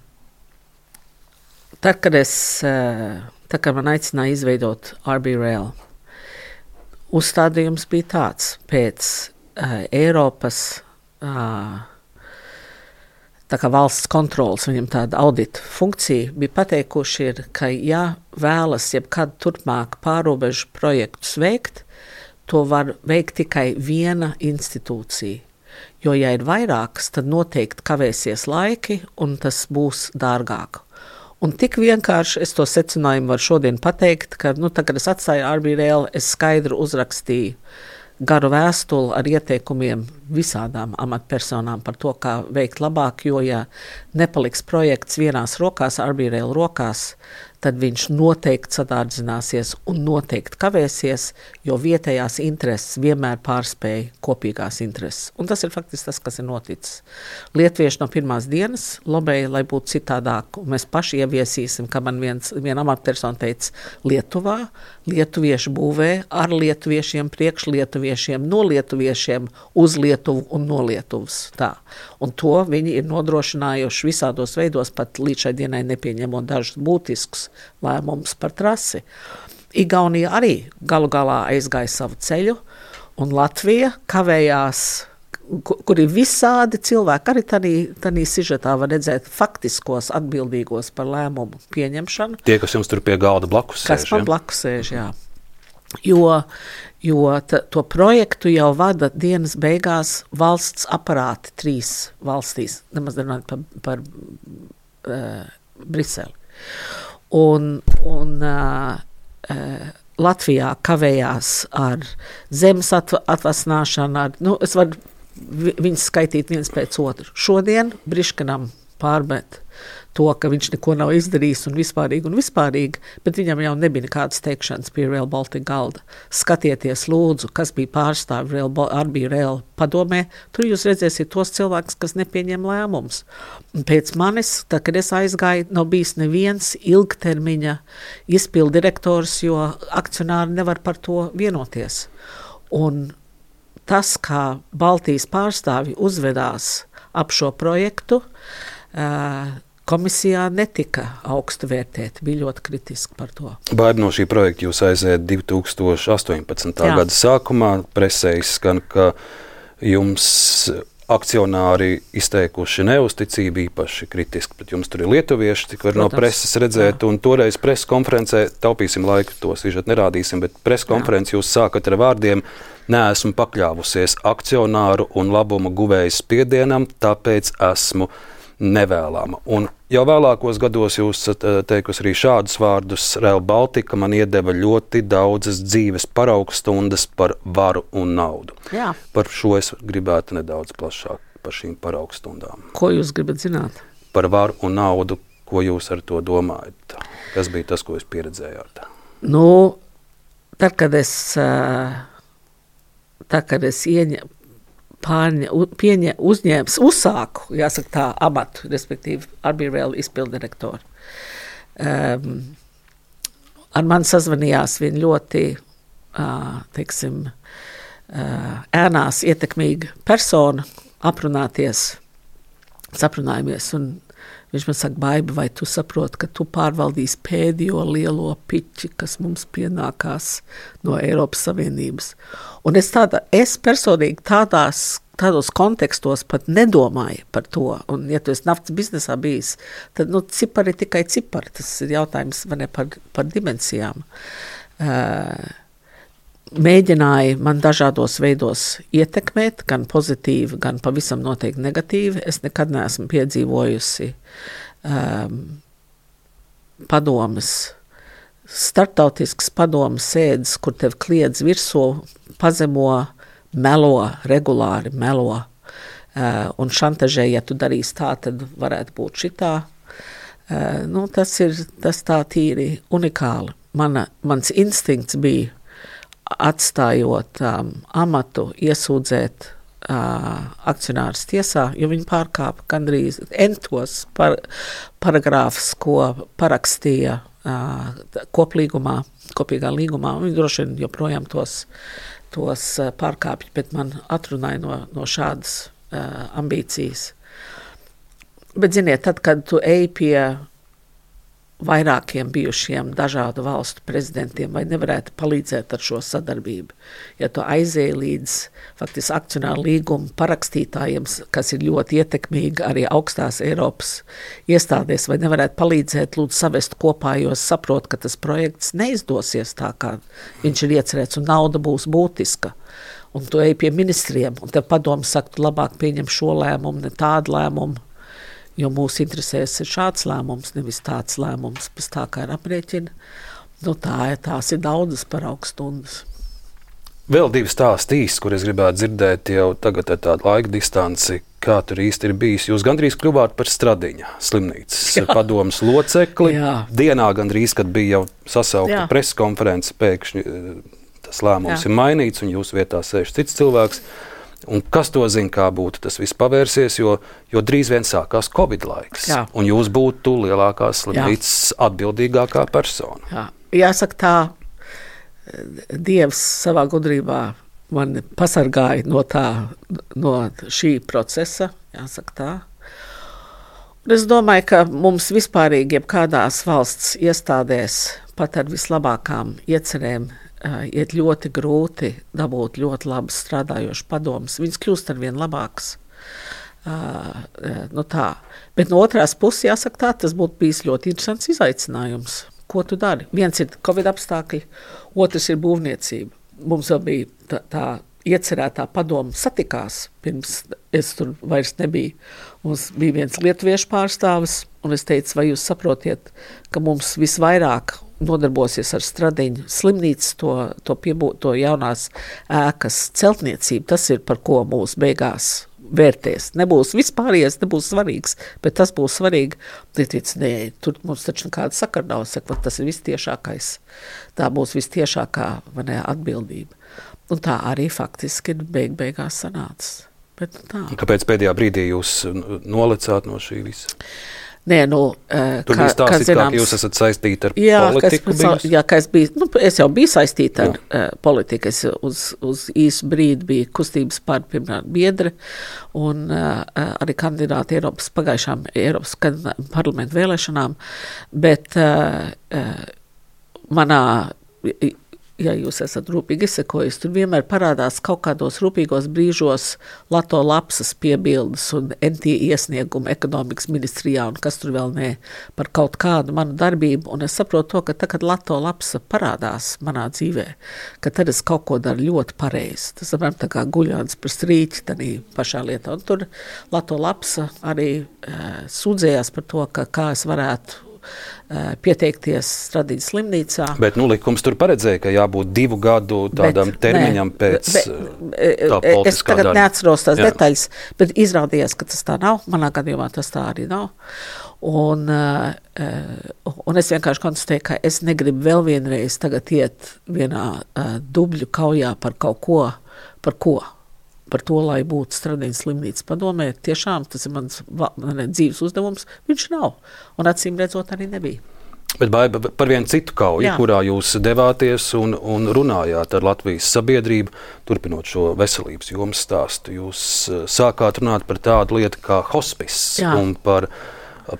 tad, kad es, tad, kad man aicināja izveidot R B Rail, uzstādījums bija tāds, pēc uh, Eiropas uh, tā kā valsts kontrolas, viņam tāda audita funkcija, bija pateikuši, ir, ka ja vēlas jebkad turpmāk pārobežu projektus veikt, to var veikt tikai viena institūcija. Jo, ja ir vairākas, tad noteikti kavēsies laiki un tas būs dārgāk. Un tik vienkārši es to secinājumu varu šodien pateikt, ka, nu, tā, kad es atstāju R B Rail, es skaidru uzrakstīju garu vēstuli ar ieteikumiem visādām amatpersonām par to, kā veikt labāk, jo, ja nepaliks projekts vienās rokās, R B Rail rokās, tad viņš noteikti sadārdzināsies un noteikti kavēsies, jo vietējās intereses vienmēr pārspēja kopīgās intereses. Un tas ir faktiski tas, kas ir noticis. Lietuvieši no pirmās dienas lobēja, lai būtu citādāk, un mēs paši ieviesīsim, ka man viens, viena amatpersona teica, Lietuvā lietuvieši būvē ar lietuviešiem, priekš lietuviešiem, no lietuviešiem, uz Lietuvu un no Lietuvas. Tā. Un to viņi ir nodrošinājuši visādos veidos, pat līdz šai dienai nepieņemot dažus būtiskus lēmumus par trasi. Igaunija arī galu galā aizgāja savu ceļu, un Latvija kavējās, kur ir visādi cilvēki, arī tādā, tādā sižetā var redzēt faktiskos atbildīgos par lēmumu pieņemšanu. Tie, kas jums tur pie galda blakus sēž. Kas man blakus sēž, jā. Jo, jo ta, to projektu jau vada dienas beigās valsts aparāti trīs valstīs, nemaz runājot par, par uh, Briseli. Un, un uh, uh, Latvijā kavējās ar zemes atva, atvasināšanu, ar, nu, es varu vi, viņus skaitīt viens pēc otru. Šodien Briškanam pārmet to, ka viņš neko nav izdarījis un vispārīgi un vispārīgi, bet viņam jau nebija nekādas teikšanas pie Rail Baltica galda. Skatieties, lūdzu, kas bija pārstāvi Rail, ar bija Rail padomē, tur jūs redzēsiet tos cilvēkus, kas nepieņem lēmumus. Un pēc manis, tā, kad es aizgāju, nav bijis neviens ilgtermiņa izpildu direktors, jo akcionāri nevar par to vienoties. Un tas, kā Baltijas pārstāvi uzvedās ap šo projektu, uh, komisijā netika augstu vērtēt, bija ļoti kritiski par to. Baiba, no šī projekta jūs aiziet divi tūkstoši astoņpadsmitā gada sākumā. Presē izskan, ka jums akcionāri izteikuši neusticību, īpaši kritiski, bet jums tur ir lietuvieši, cik var Protams, no preses redzēt, jā. Un toreiz preses konferencē, taupīsim laiku, to sižet nerādīsim, bet preses konferenci jūs sākat ar vārdiem: neesmu pakļāvusies akcionāru un labuma guvējas spiedienam, tāpēc esmu nevēlama. Un jau vēlākos gados jūs teikusi arī šādus vārdus: Rail Baltica man iedeva ļoti daudzas dzīves paraugstundas par varu un naudu. Jā. Par šo es gribētu nedaudz plašāk, par šīm paraugstundām. Ko jūs gribat zināt? Par varu un naudu, ko jūs ar to domājat? Kas bija tas, ko jūs pieredzējāt? Nu, tad, kad es, tad, kad es ieņemu, Pārņa, pieņē, uzņēmis, uzsāku, jāsaka tā, amatu, respektīvi, ar bija Rail izpildirektori. Um, ar mani sazvanījās viena ļoti, uh, teiksim, uh, ēnās ietekmīga persona, aprunāties, saprunājamies, un viņš man saka: Baiba, vai tu saproti, ka tu pārvaldīsi pēdējo lielo piķi, kas mums pienākās no Eiropas Savienības? Un es, tāda, es personīgi tādās, tādos kontekstos pat nedomāju par to. Un, ja tu esi naftas biznesā bijis, tad nu, cipari tikai cipari. Tas ir jautājums vai ne, par, par dimensijām. Uh, mēģināja man dažādos veidos ietekmēt, gan pozitīvi, gan pavisam noteikti negatīvi. Es nekad neesmu piedzīvojusi um, padomes, startautisks padomes sēdes, kur tev kliedz virsū, pazemo, melo, regulāri melo uh, un šantažē, ja tu darīsi tā, tad varētu būt šitā. Uh, nu, tas ir tas tā tīri unikāli. Mana, mans instinkts bija, atstājot um, amatu, iesūdzēt uh, akcionārus tiesā, jo viņi pārkāpa gandrīz entos par, paragrāfus, ko parakstīja uh, koplīgumā, kopīgā līgumā. Viņi droši vien joprojām tos, tos uh, pārkāpja, bet man atrunāja no, no šādas uh, ambīcijas. Bet, ziniet, tad, kad tu ej pie vairākiem bijušiem dažādu valstu prezidentiem, vai nevarētu palīdzēt ar šo sadarbību. Ja tu aizēji līdz faktiski akcionāru līgumu parakstītājiem, kas ir ļoti ietekmīgi arī augstās Eiropas iestādēs, vai nevarētu palīdzēt lūdzu savest kopā, jo saprot, ka tas projekts neizdosies tā, kā viņš ir iecerēts, un nauda būs būtiska. Un tu ej pie ministriem, un tev padomu saka, tu labāk pieņem šo lēmumu, ne tādu lēmumu, jo mūsu interesēs ir šāds lēmums, nevis tāds lēmums, pēc tā kā ir aprēķina. Nu, tā, tās ir daudzas paraugstundas. Vēl divi stāsti īsti, kur es gribētu dzirdēt jau tagad ar tādu laika distanci, kā tur īsti ir bijis. Jūs gandrīz kļuvāt par Stradiņa slimnīcas padomas locekli. Jā. Dienā gandrīz, kad bija jau sasaukta preskonference, pēkšņi tas lēmums Jā. Ir mainīts un jūsu vietā sēž cits cilvēks. Un kas to zina, kā būtu tas viss pavērsies, jo, jo drīz vien sākās Covid laiks. Jā. Un jūs būtu lielākās slimnīcas atbildīgākā persona. Jā. Jāsaka tā, Dievs savā gudrībā man pasargāja no, tā, no šī procesa, jāsaka tā. Un es domāju, ka mums vispārīgi jebkādās valsts iestādēs pat ar vislabākām iecerēm Uh, iet ļoti grūti dabūt ļoti labas strādājošas padomas. Viņas kļūst ar vien labākas. Uh, uh, nu tā. Bet no otrās puses, jāsaka tā, tas būtu bijis ļoti interesants izaicinājums. Ko tu dari? Viens ir Covid apstākļi, otrs ir būvniecība. Mums vēl bija tā, tā iecerētā padoma satikās, pirms es tur vairs nebiju. Mums bija viens lietuviešu pārstāvis, un es teicu, vai jūs saprotiet, ka mums visvairāk nodarbosies ar Stradiņu slimnīcu, to, to, piebū, to jaunās ēkas celtniecību. Tas ir, par ko mūs beigās vērtēs. Nebūs vispārējais, nebūs svarīgs, bet tas būs svarīgi. Tic, nē, tur mums taču nekāda sakara nav, saka, tas ir vistiešākais. Tā būs vistiešākā ne, atbildība. Un tā arī faktiski ir beig beigās sanācis. Bet tā. Kāpēc pēdējā brīdī jūs nolecāt no šī visa? Nē, nu, Tur kā, bija stāstīt, kā, zināms, ka jūs esat saistīti ar jā, politiku. Es, jā, ka es biju, nu, es jau biju saistīta ar uh, politiku. Es uz, uz īsu brīdi biju kustības par, piemēram, biedre un uh, arī kandidāti Eiropas pagājušām Eiropas parlamentu vēlēšanām, bet uh, uh, manā, ja jūs esat rūpīgi izsekojis, tur vienmēr parādās kaut kādos rūpīgos brīžos Lato lapsas piebildes un N T iesniegumu ekonomikas ministrijā un kas tur vēl ne par kaut kādu manu darbību. Un es saprotu to, ka tā, kad Lato lapsa parādās manā dzīvē, ka tad es kaut ko daru ļoti pareizi. Tas, apmēram, tā kā guļāns par strīķi tanī pašā lietā. Un tur Lato lapsa arī uh, sūdzējās par to, ka kā es varētu pieteikties Stradīnas slimnīcā. Bet nu, likums tur paredzēja, ka jābūt divu gadu tādam bet, termiņam nē, pēc bet, tā politiskā es tagad darba. Neatceros tās Jā. Detaļas, bet izrādījās, ka tas tā nav. Manā gadījumā tas tā arī nav. Un, uh, un es vienkārši konstatēju, ka es negribu vēl vienreiz tagad iet vienā uh, dubļu kaujā par kaut ko, par ko. Par to, lai būtu Stradīnas slimnīcas padomē. Tiešām tas ir mans ne, dzīves uzdevums. Viņš nav. Un acīm redzot arī nebija. Bet Baiba, par vienu citu kauju, Jā. Kurā jūs devāties un, un runājāt ar Latvijas sabiedrību, turpinot šo veselības jomas stāstu, jūs sākāt runāt par tādu lietu kā hospice Jā. Un par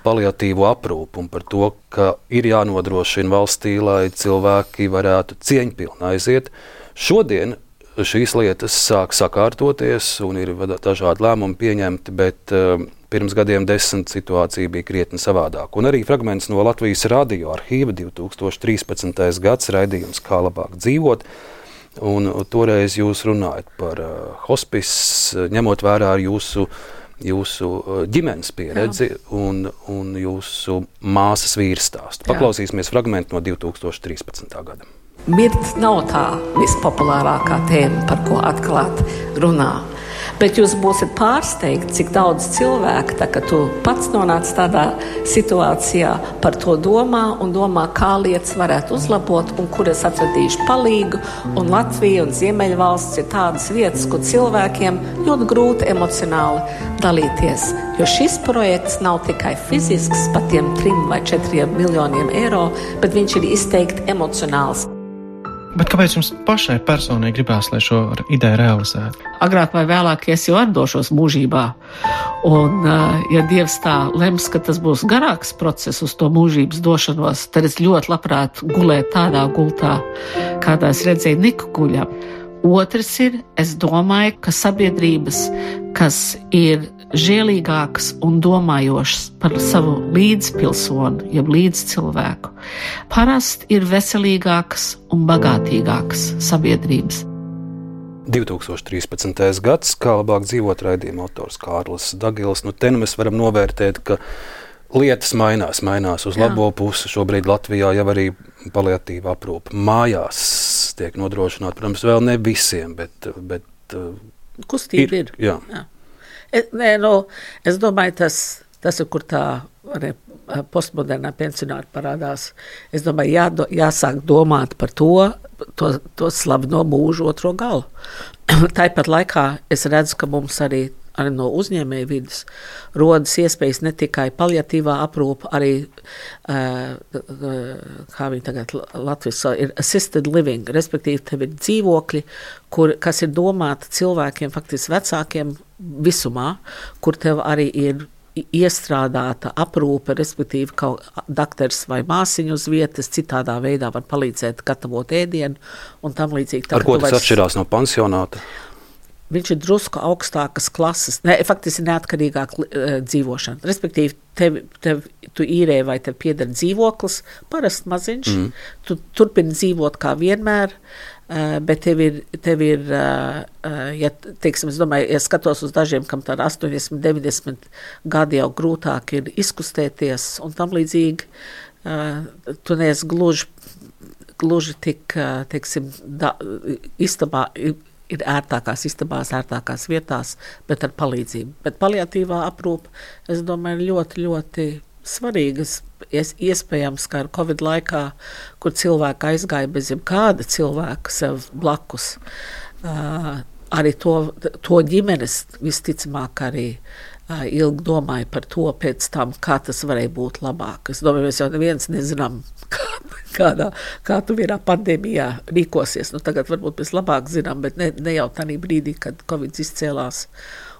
paliatīvo aprūpu un par to, ka ir jānodrošina valstī, lai cilvēki varētu cieņpilni aiziet. Šodien šīs lietas sāk sakārtoties un ir dažādi lēmumi pieņemti, bet uh, pirms gadiem desmit situācija bija krietni savādāk. Un arī fragments no Latvijas radio arhīva divi tūkstoši trīspadsmitais gads raidījums Kā labāk dzīvot. Un toreiz jūs runājat par uh, hospice, ņemot vērā ar jūsu, jūsu ģimenes pieredzi un, un jūsu māsas vīrstāstu. Paklausīsimies fragmentu no divi tūkstoši trīspadsmitā gada. Mirt nav tā vispopulārākā tēma, par ko atklāt runā. Bet jūs būsiet pārsteigti, cik daudz cilvēku, tā, ka tu pats nonāc tādā situācijā, par to domā un domā, kā lietas varētu uzlabot un kur es atradīšu palīgu. Un Latvija un Ziemeļvalsts ir tādas vietas, kur cilvēkiem ļoti grūti emocionāli dalīties. Jo šis projekts nav tikai fizisks par tiem trim vai četriem miljoniem eiro, bet viņš ir izteikti emocionāls. Bet kāpēc jums pašai personīgi gribās, lai šo ideju realizētu? Agrāk vai vēlāk es jau atdošos mūžībā. Un, ja Dievs tā lems, ka tas būs garāks process uz to mūžības došanos, tad es ļoti labprāt gulētu tādā gultā, kādā es redzēju Niku guļam. Otrs ir, es domāju, ka sabiedrības, kas ir žēlīgākas un domājošas par savu līdzpilsonu, jeb līdzcilvēku, parasti ir veselīgākas un bagātīgākas sabiedrības. divi tūkstoši trīspadsmitais gads, Kā labāk dzīvot raidījuma autors Kārlis Dagils. Nu, te nu mēs varam novērtēt, ka lietas mainās, mainās uz Jā. Labo pusi. Šobrīd Latvijā jau arī paliatīva aprūpe mājās tiek nodrošināta. Protams, vēl ne visiem, bet, bet kustība ir. ir jā. Jā. Es, nē, no, es domāju, tas, tas ir, kur tā arī, postmodernā pensionāra parādās. Es domāju, jādo, jāsāk domāt par to, to, to slaveno mūžu otro galu. Tāpat laikā es redzu, ka mums arī, arī no uzņēmēju vidas rodas iespējas ne tikai paliatīvā aprūpa, arī, uh, uh, kā viņi tagad Latvijas ir assisted living, respektīvi tev ir dzīvokļi, kur, kas ir domāti cilvēkiem, faktiski vecākiem visumā, kur tev arī ir iestrādāta aprūpe, respektīvi kaut dakters vai māsiņu uz vietas, citādā veidā var palīdzēt gatavot ēdienu un tam līdzīgi. Ar ko tas vairs... atšķirās no pansionāta? Viņš ir drusku augstākas klases, ne, faktiski neatkarīgāk uh, dzīvošana. Respektīvi, tev, tev, tu īrē vai tev pieder dzīvoklis, parasti maziņš, mm. tu turpini dzīvot kā vienmēr, uh, bet tev ir, tev ir uh, uh, ja, teiksim, es domāju, ja skatos uz dažiem, kam tā astoņdesmit, deviņdesmit gadi jau grūtāk ir izkustēties un tam līdzīgi, uh, tu neesi gluži, gluži tik, uh, teiksim, da, istabā, ir ērtākās istabās, ērtākās vietās, bet ar palīdzību. Bet paliatīvā aprūpe, es domāju, ļoti, ļoti svarīgas. Es, iespējams, ka ar Covid laikā, kur cilvēki aizgāja bez jebkāda cilvēka sev blakus, uh, arī to, to ģimenes visticamāk arī uh, ilgi domāja par to pēc tam, kā tas varēja būt labāk. Es domāju, mēs jau neviens nezinām, kā, kādā, kā tu vienā pandēmijā rīkosies. Nu, tagad varbūt mēs labāk zinām, bet ne, ne jau tādā brīdī, kad Covid izcēlās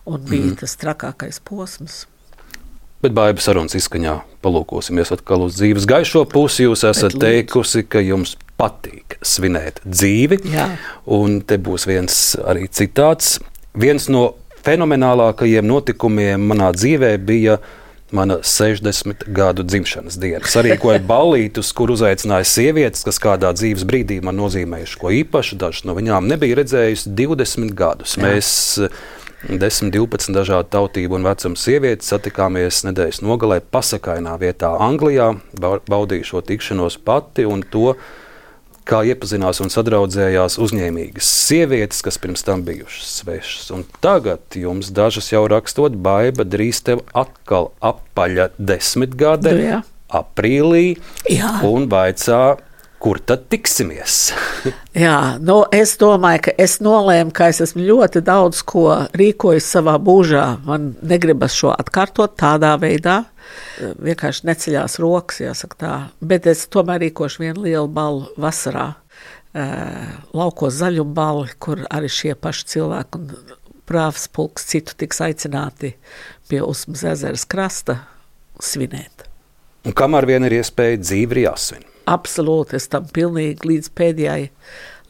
un bija mm. tas trakākais posms. Bet Baiba sarunas izskaņā palūkosimies atkal uz dzīves gaišo pusi. Jūs esat teikusi, ka jums patīk svinēt dzīvi. Jā. Un te būs viens arī citāts. Viens no fenomenālākajiem notikumiem manā dzīvē bija mana sešdesmit gadu dzimšanas diena. Sarīkoju ballītus, kur uzaicināja sievietes, kas kādā dzīves brīdī man nozīmējuši ko īpašu. Dažas no viņām nebija redzējusi divdesmit gadus. Jā. Mēs desmit, divpadsmit dažādu tautību un vecumu sievietes satikāmies nedēļas nogalē pasakainā vietā Anglijā, baudīju šo tikšanos pati un to, kā iepazinās un sadraudzējās uzņēmīgas sievietes, kas pirms tam bijušas svešas. Un tagad jums dažas jau rakstot, Baiba, drīz tev atkal apaļa desmitgade, Jā. aprīlī, Jā. un vaicā, kur tad tiksimies? Jā, nu es domāju, ka es nolēmu, ka es esmu ļoti daudz ko rīkojis savā būžā. Man negribas šo atkārtot tādā veidā. Vienkārši neceļās rokas, jāsaka tā. Bet es tomēr rīkošu vienu lielu ballu vasarā. Laukos zaļumu balli, kur arī šie paši cilvēki un prāvs pulks citu tiks aicināti pie Usmas ezeras krasta svinēt. Un kamēr vien ir iespēja, dzīve ir jāsvin. Absolūti, es tam pilnīgi līdz pēdējai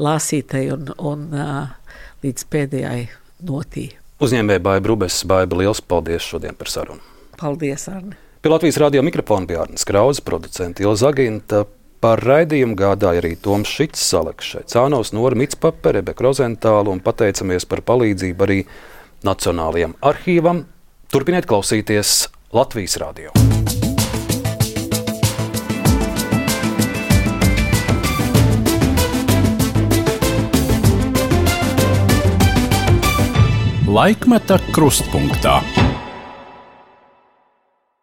lāsītei un, un uh, līdz pēdējai notī. Uzņēmēja Baiba Rubes. Baiba, liels paldies šodien par sarunu. Paldies, Arni. Pie Latvijas radio mikrofona bija Arnis Krauze, producente Ilza Aginta. Par raidījumu gādāja arī Toms Šits, Saleks Šaicānos, Nora Mitspape, Rebeka Rozentāla un pateicamies par palīdzību arī Nacionālajam arhīvam. Turpiniet klausīties Latvijas radio. Laikmeta krustpunktā.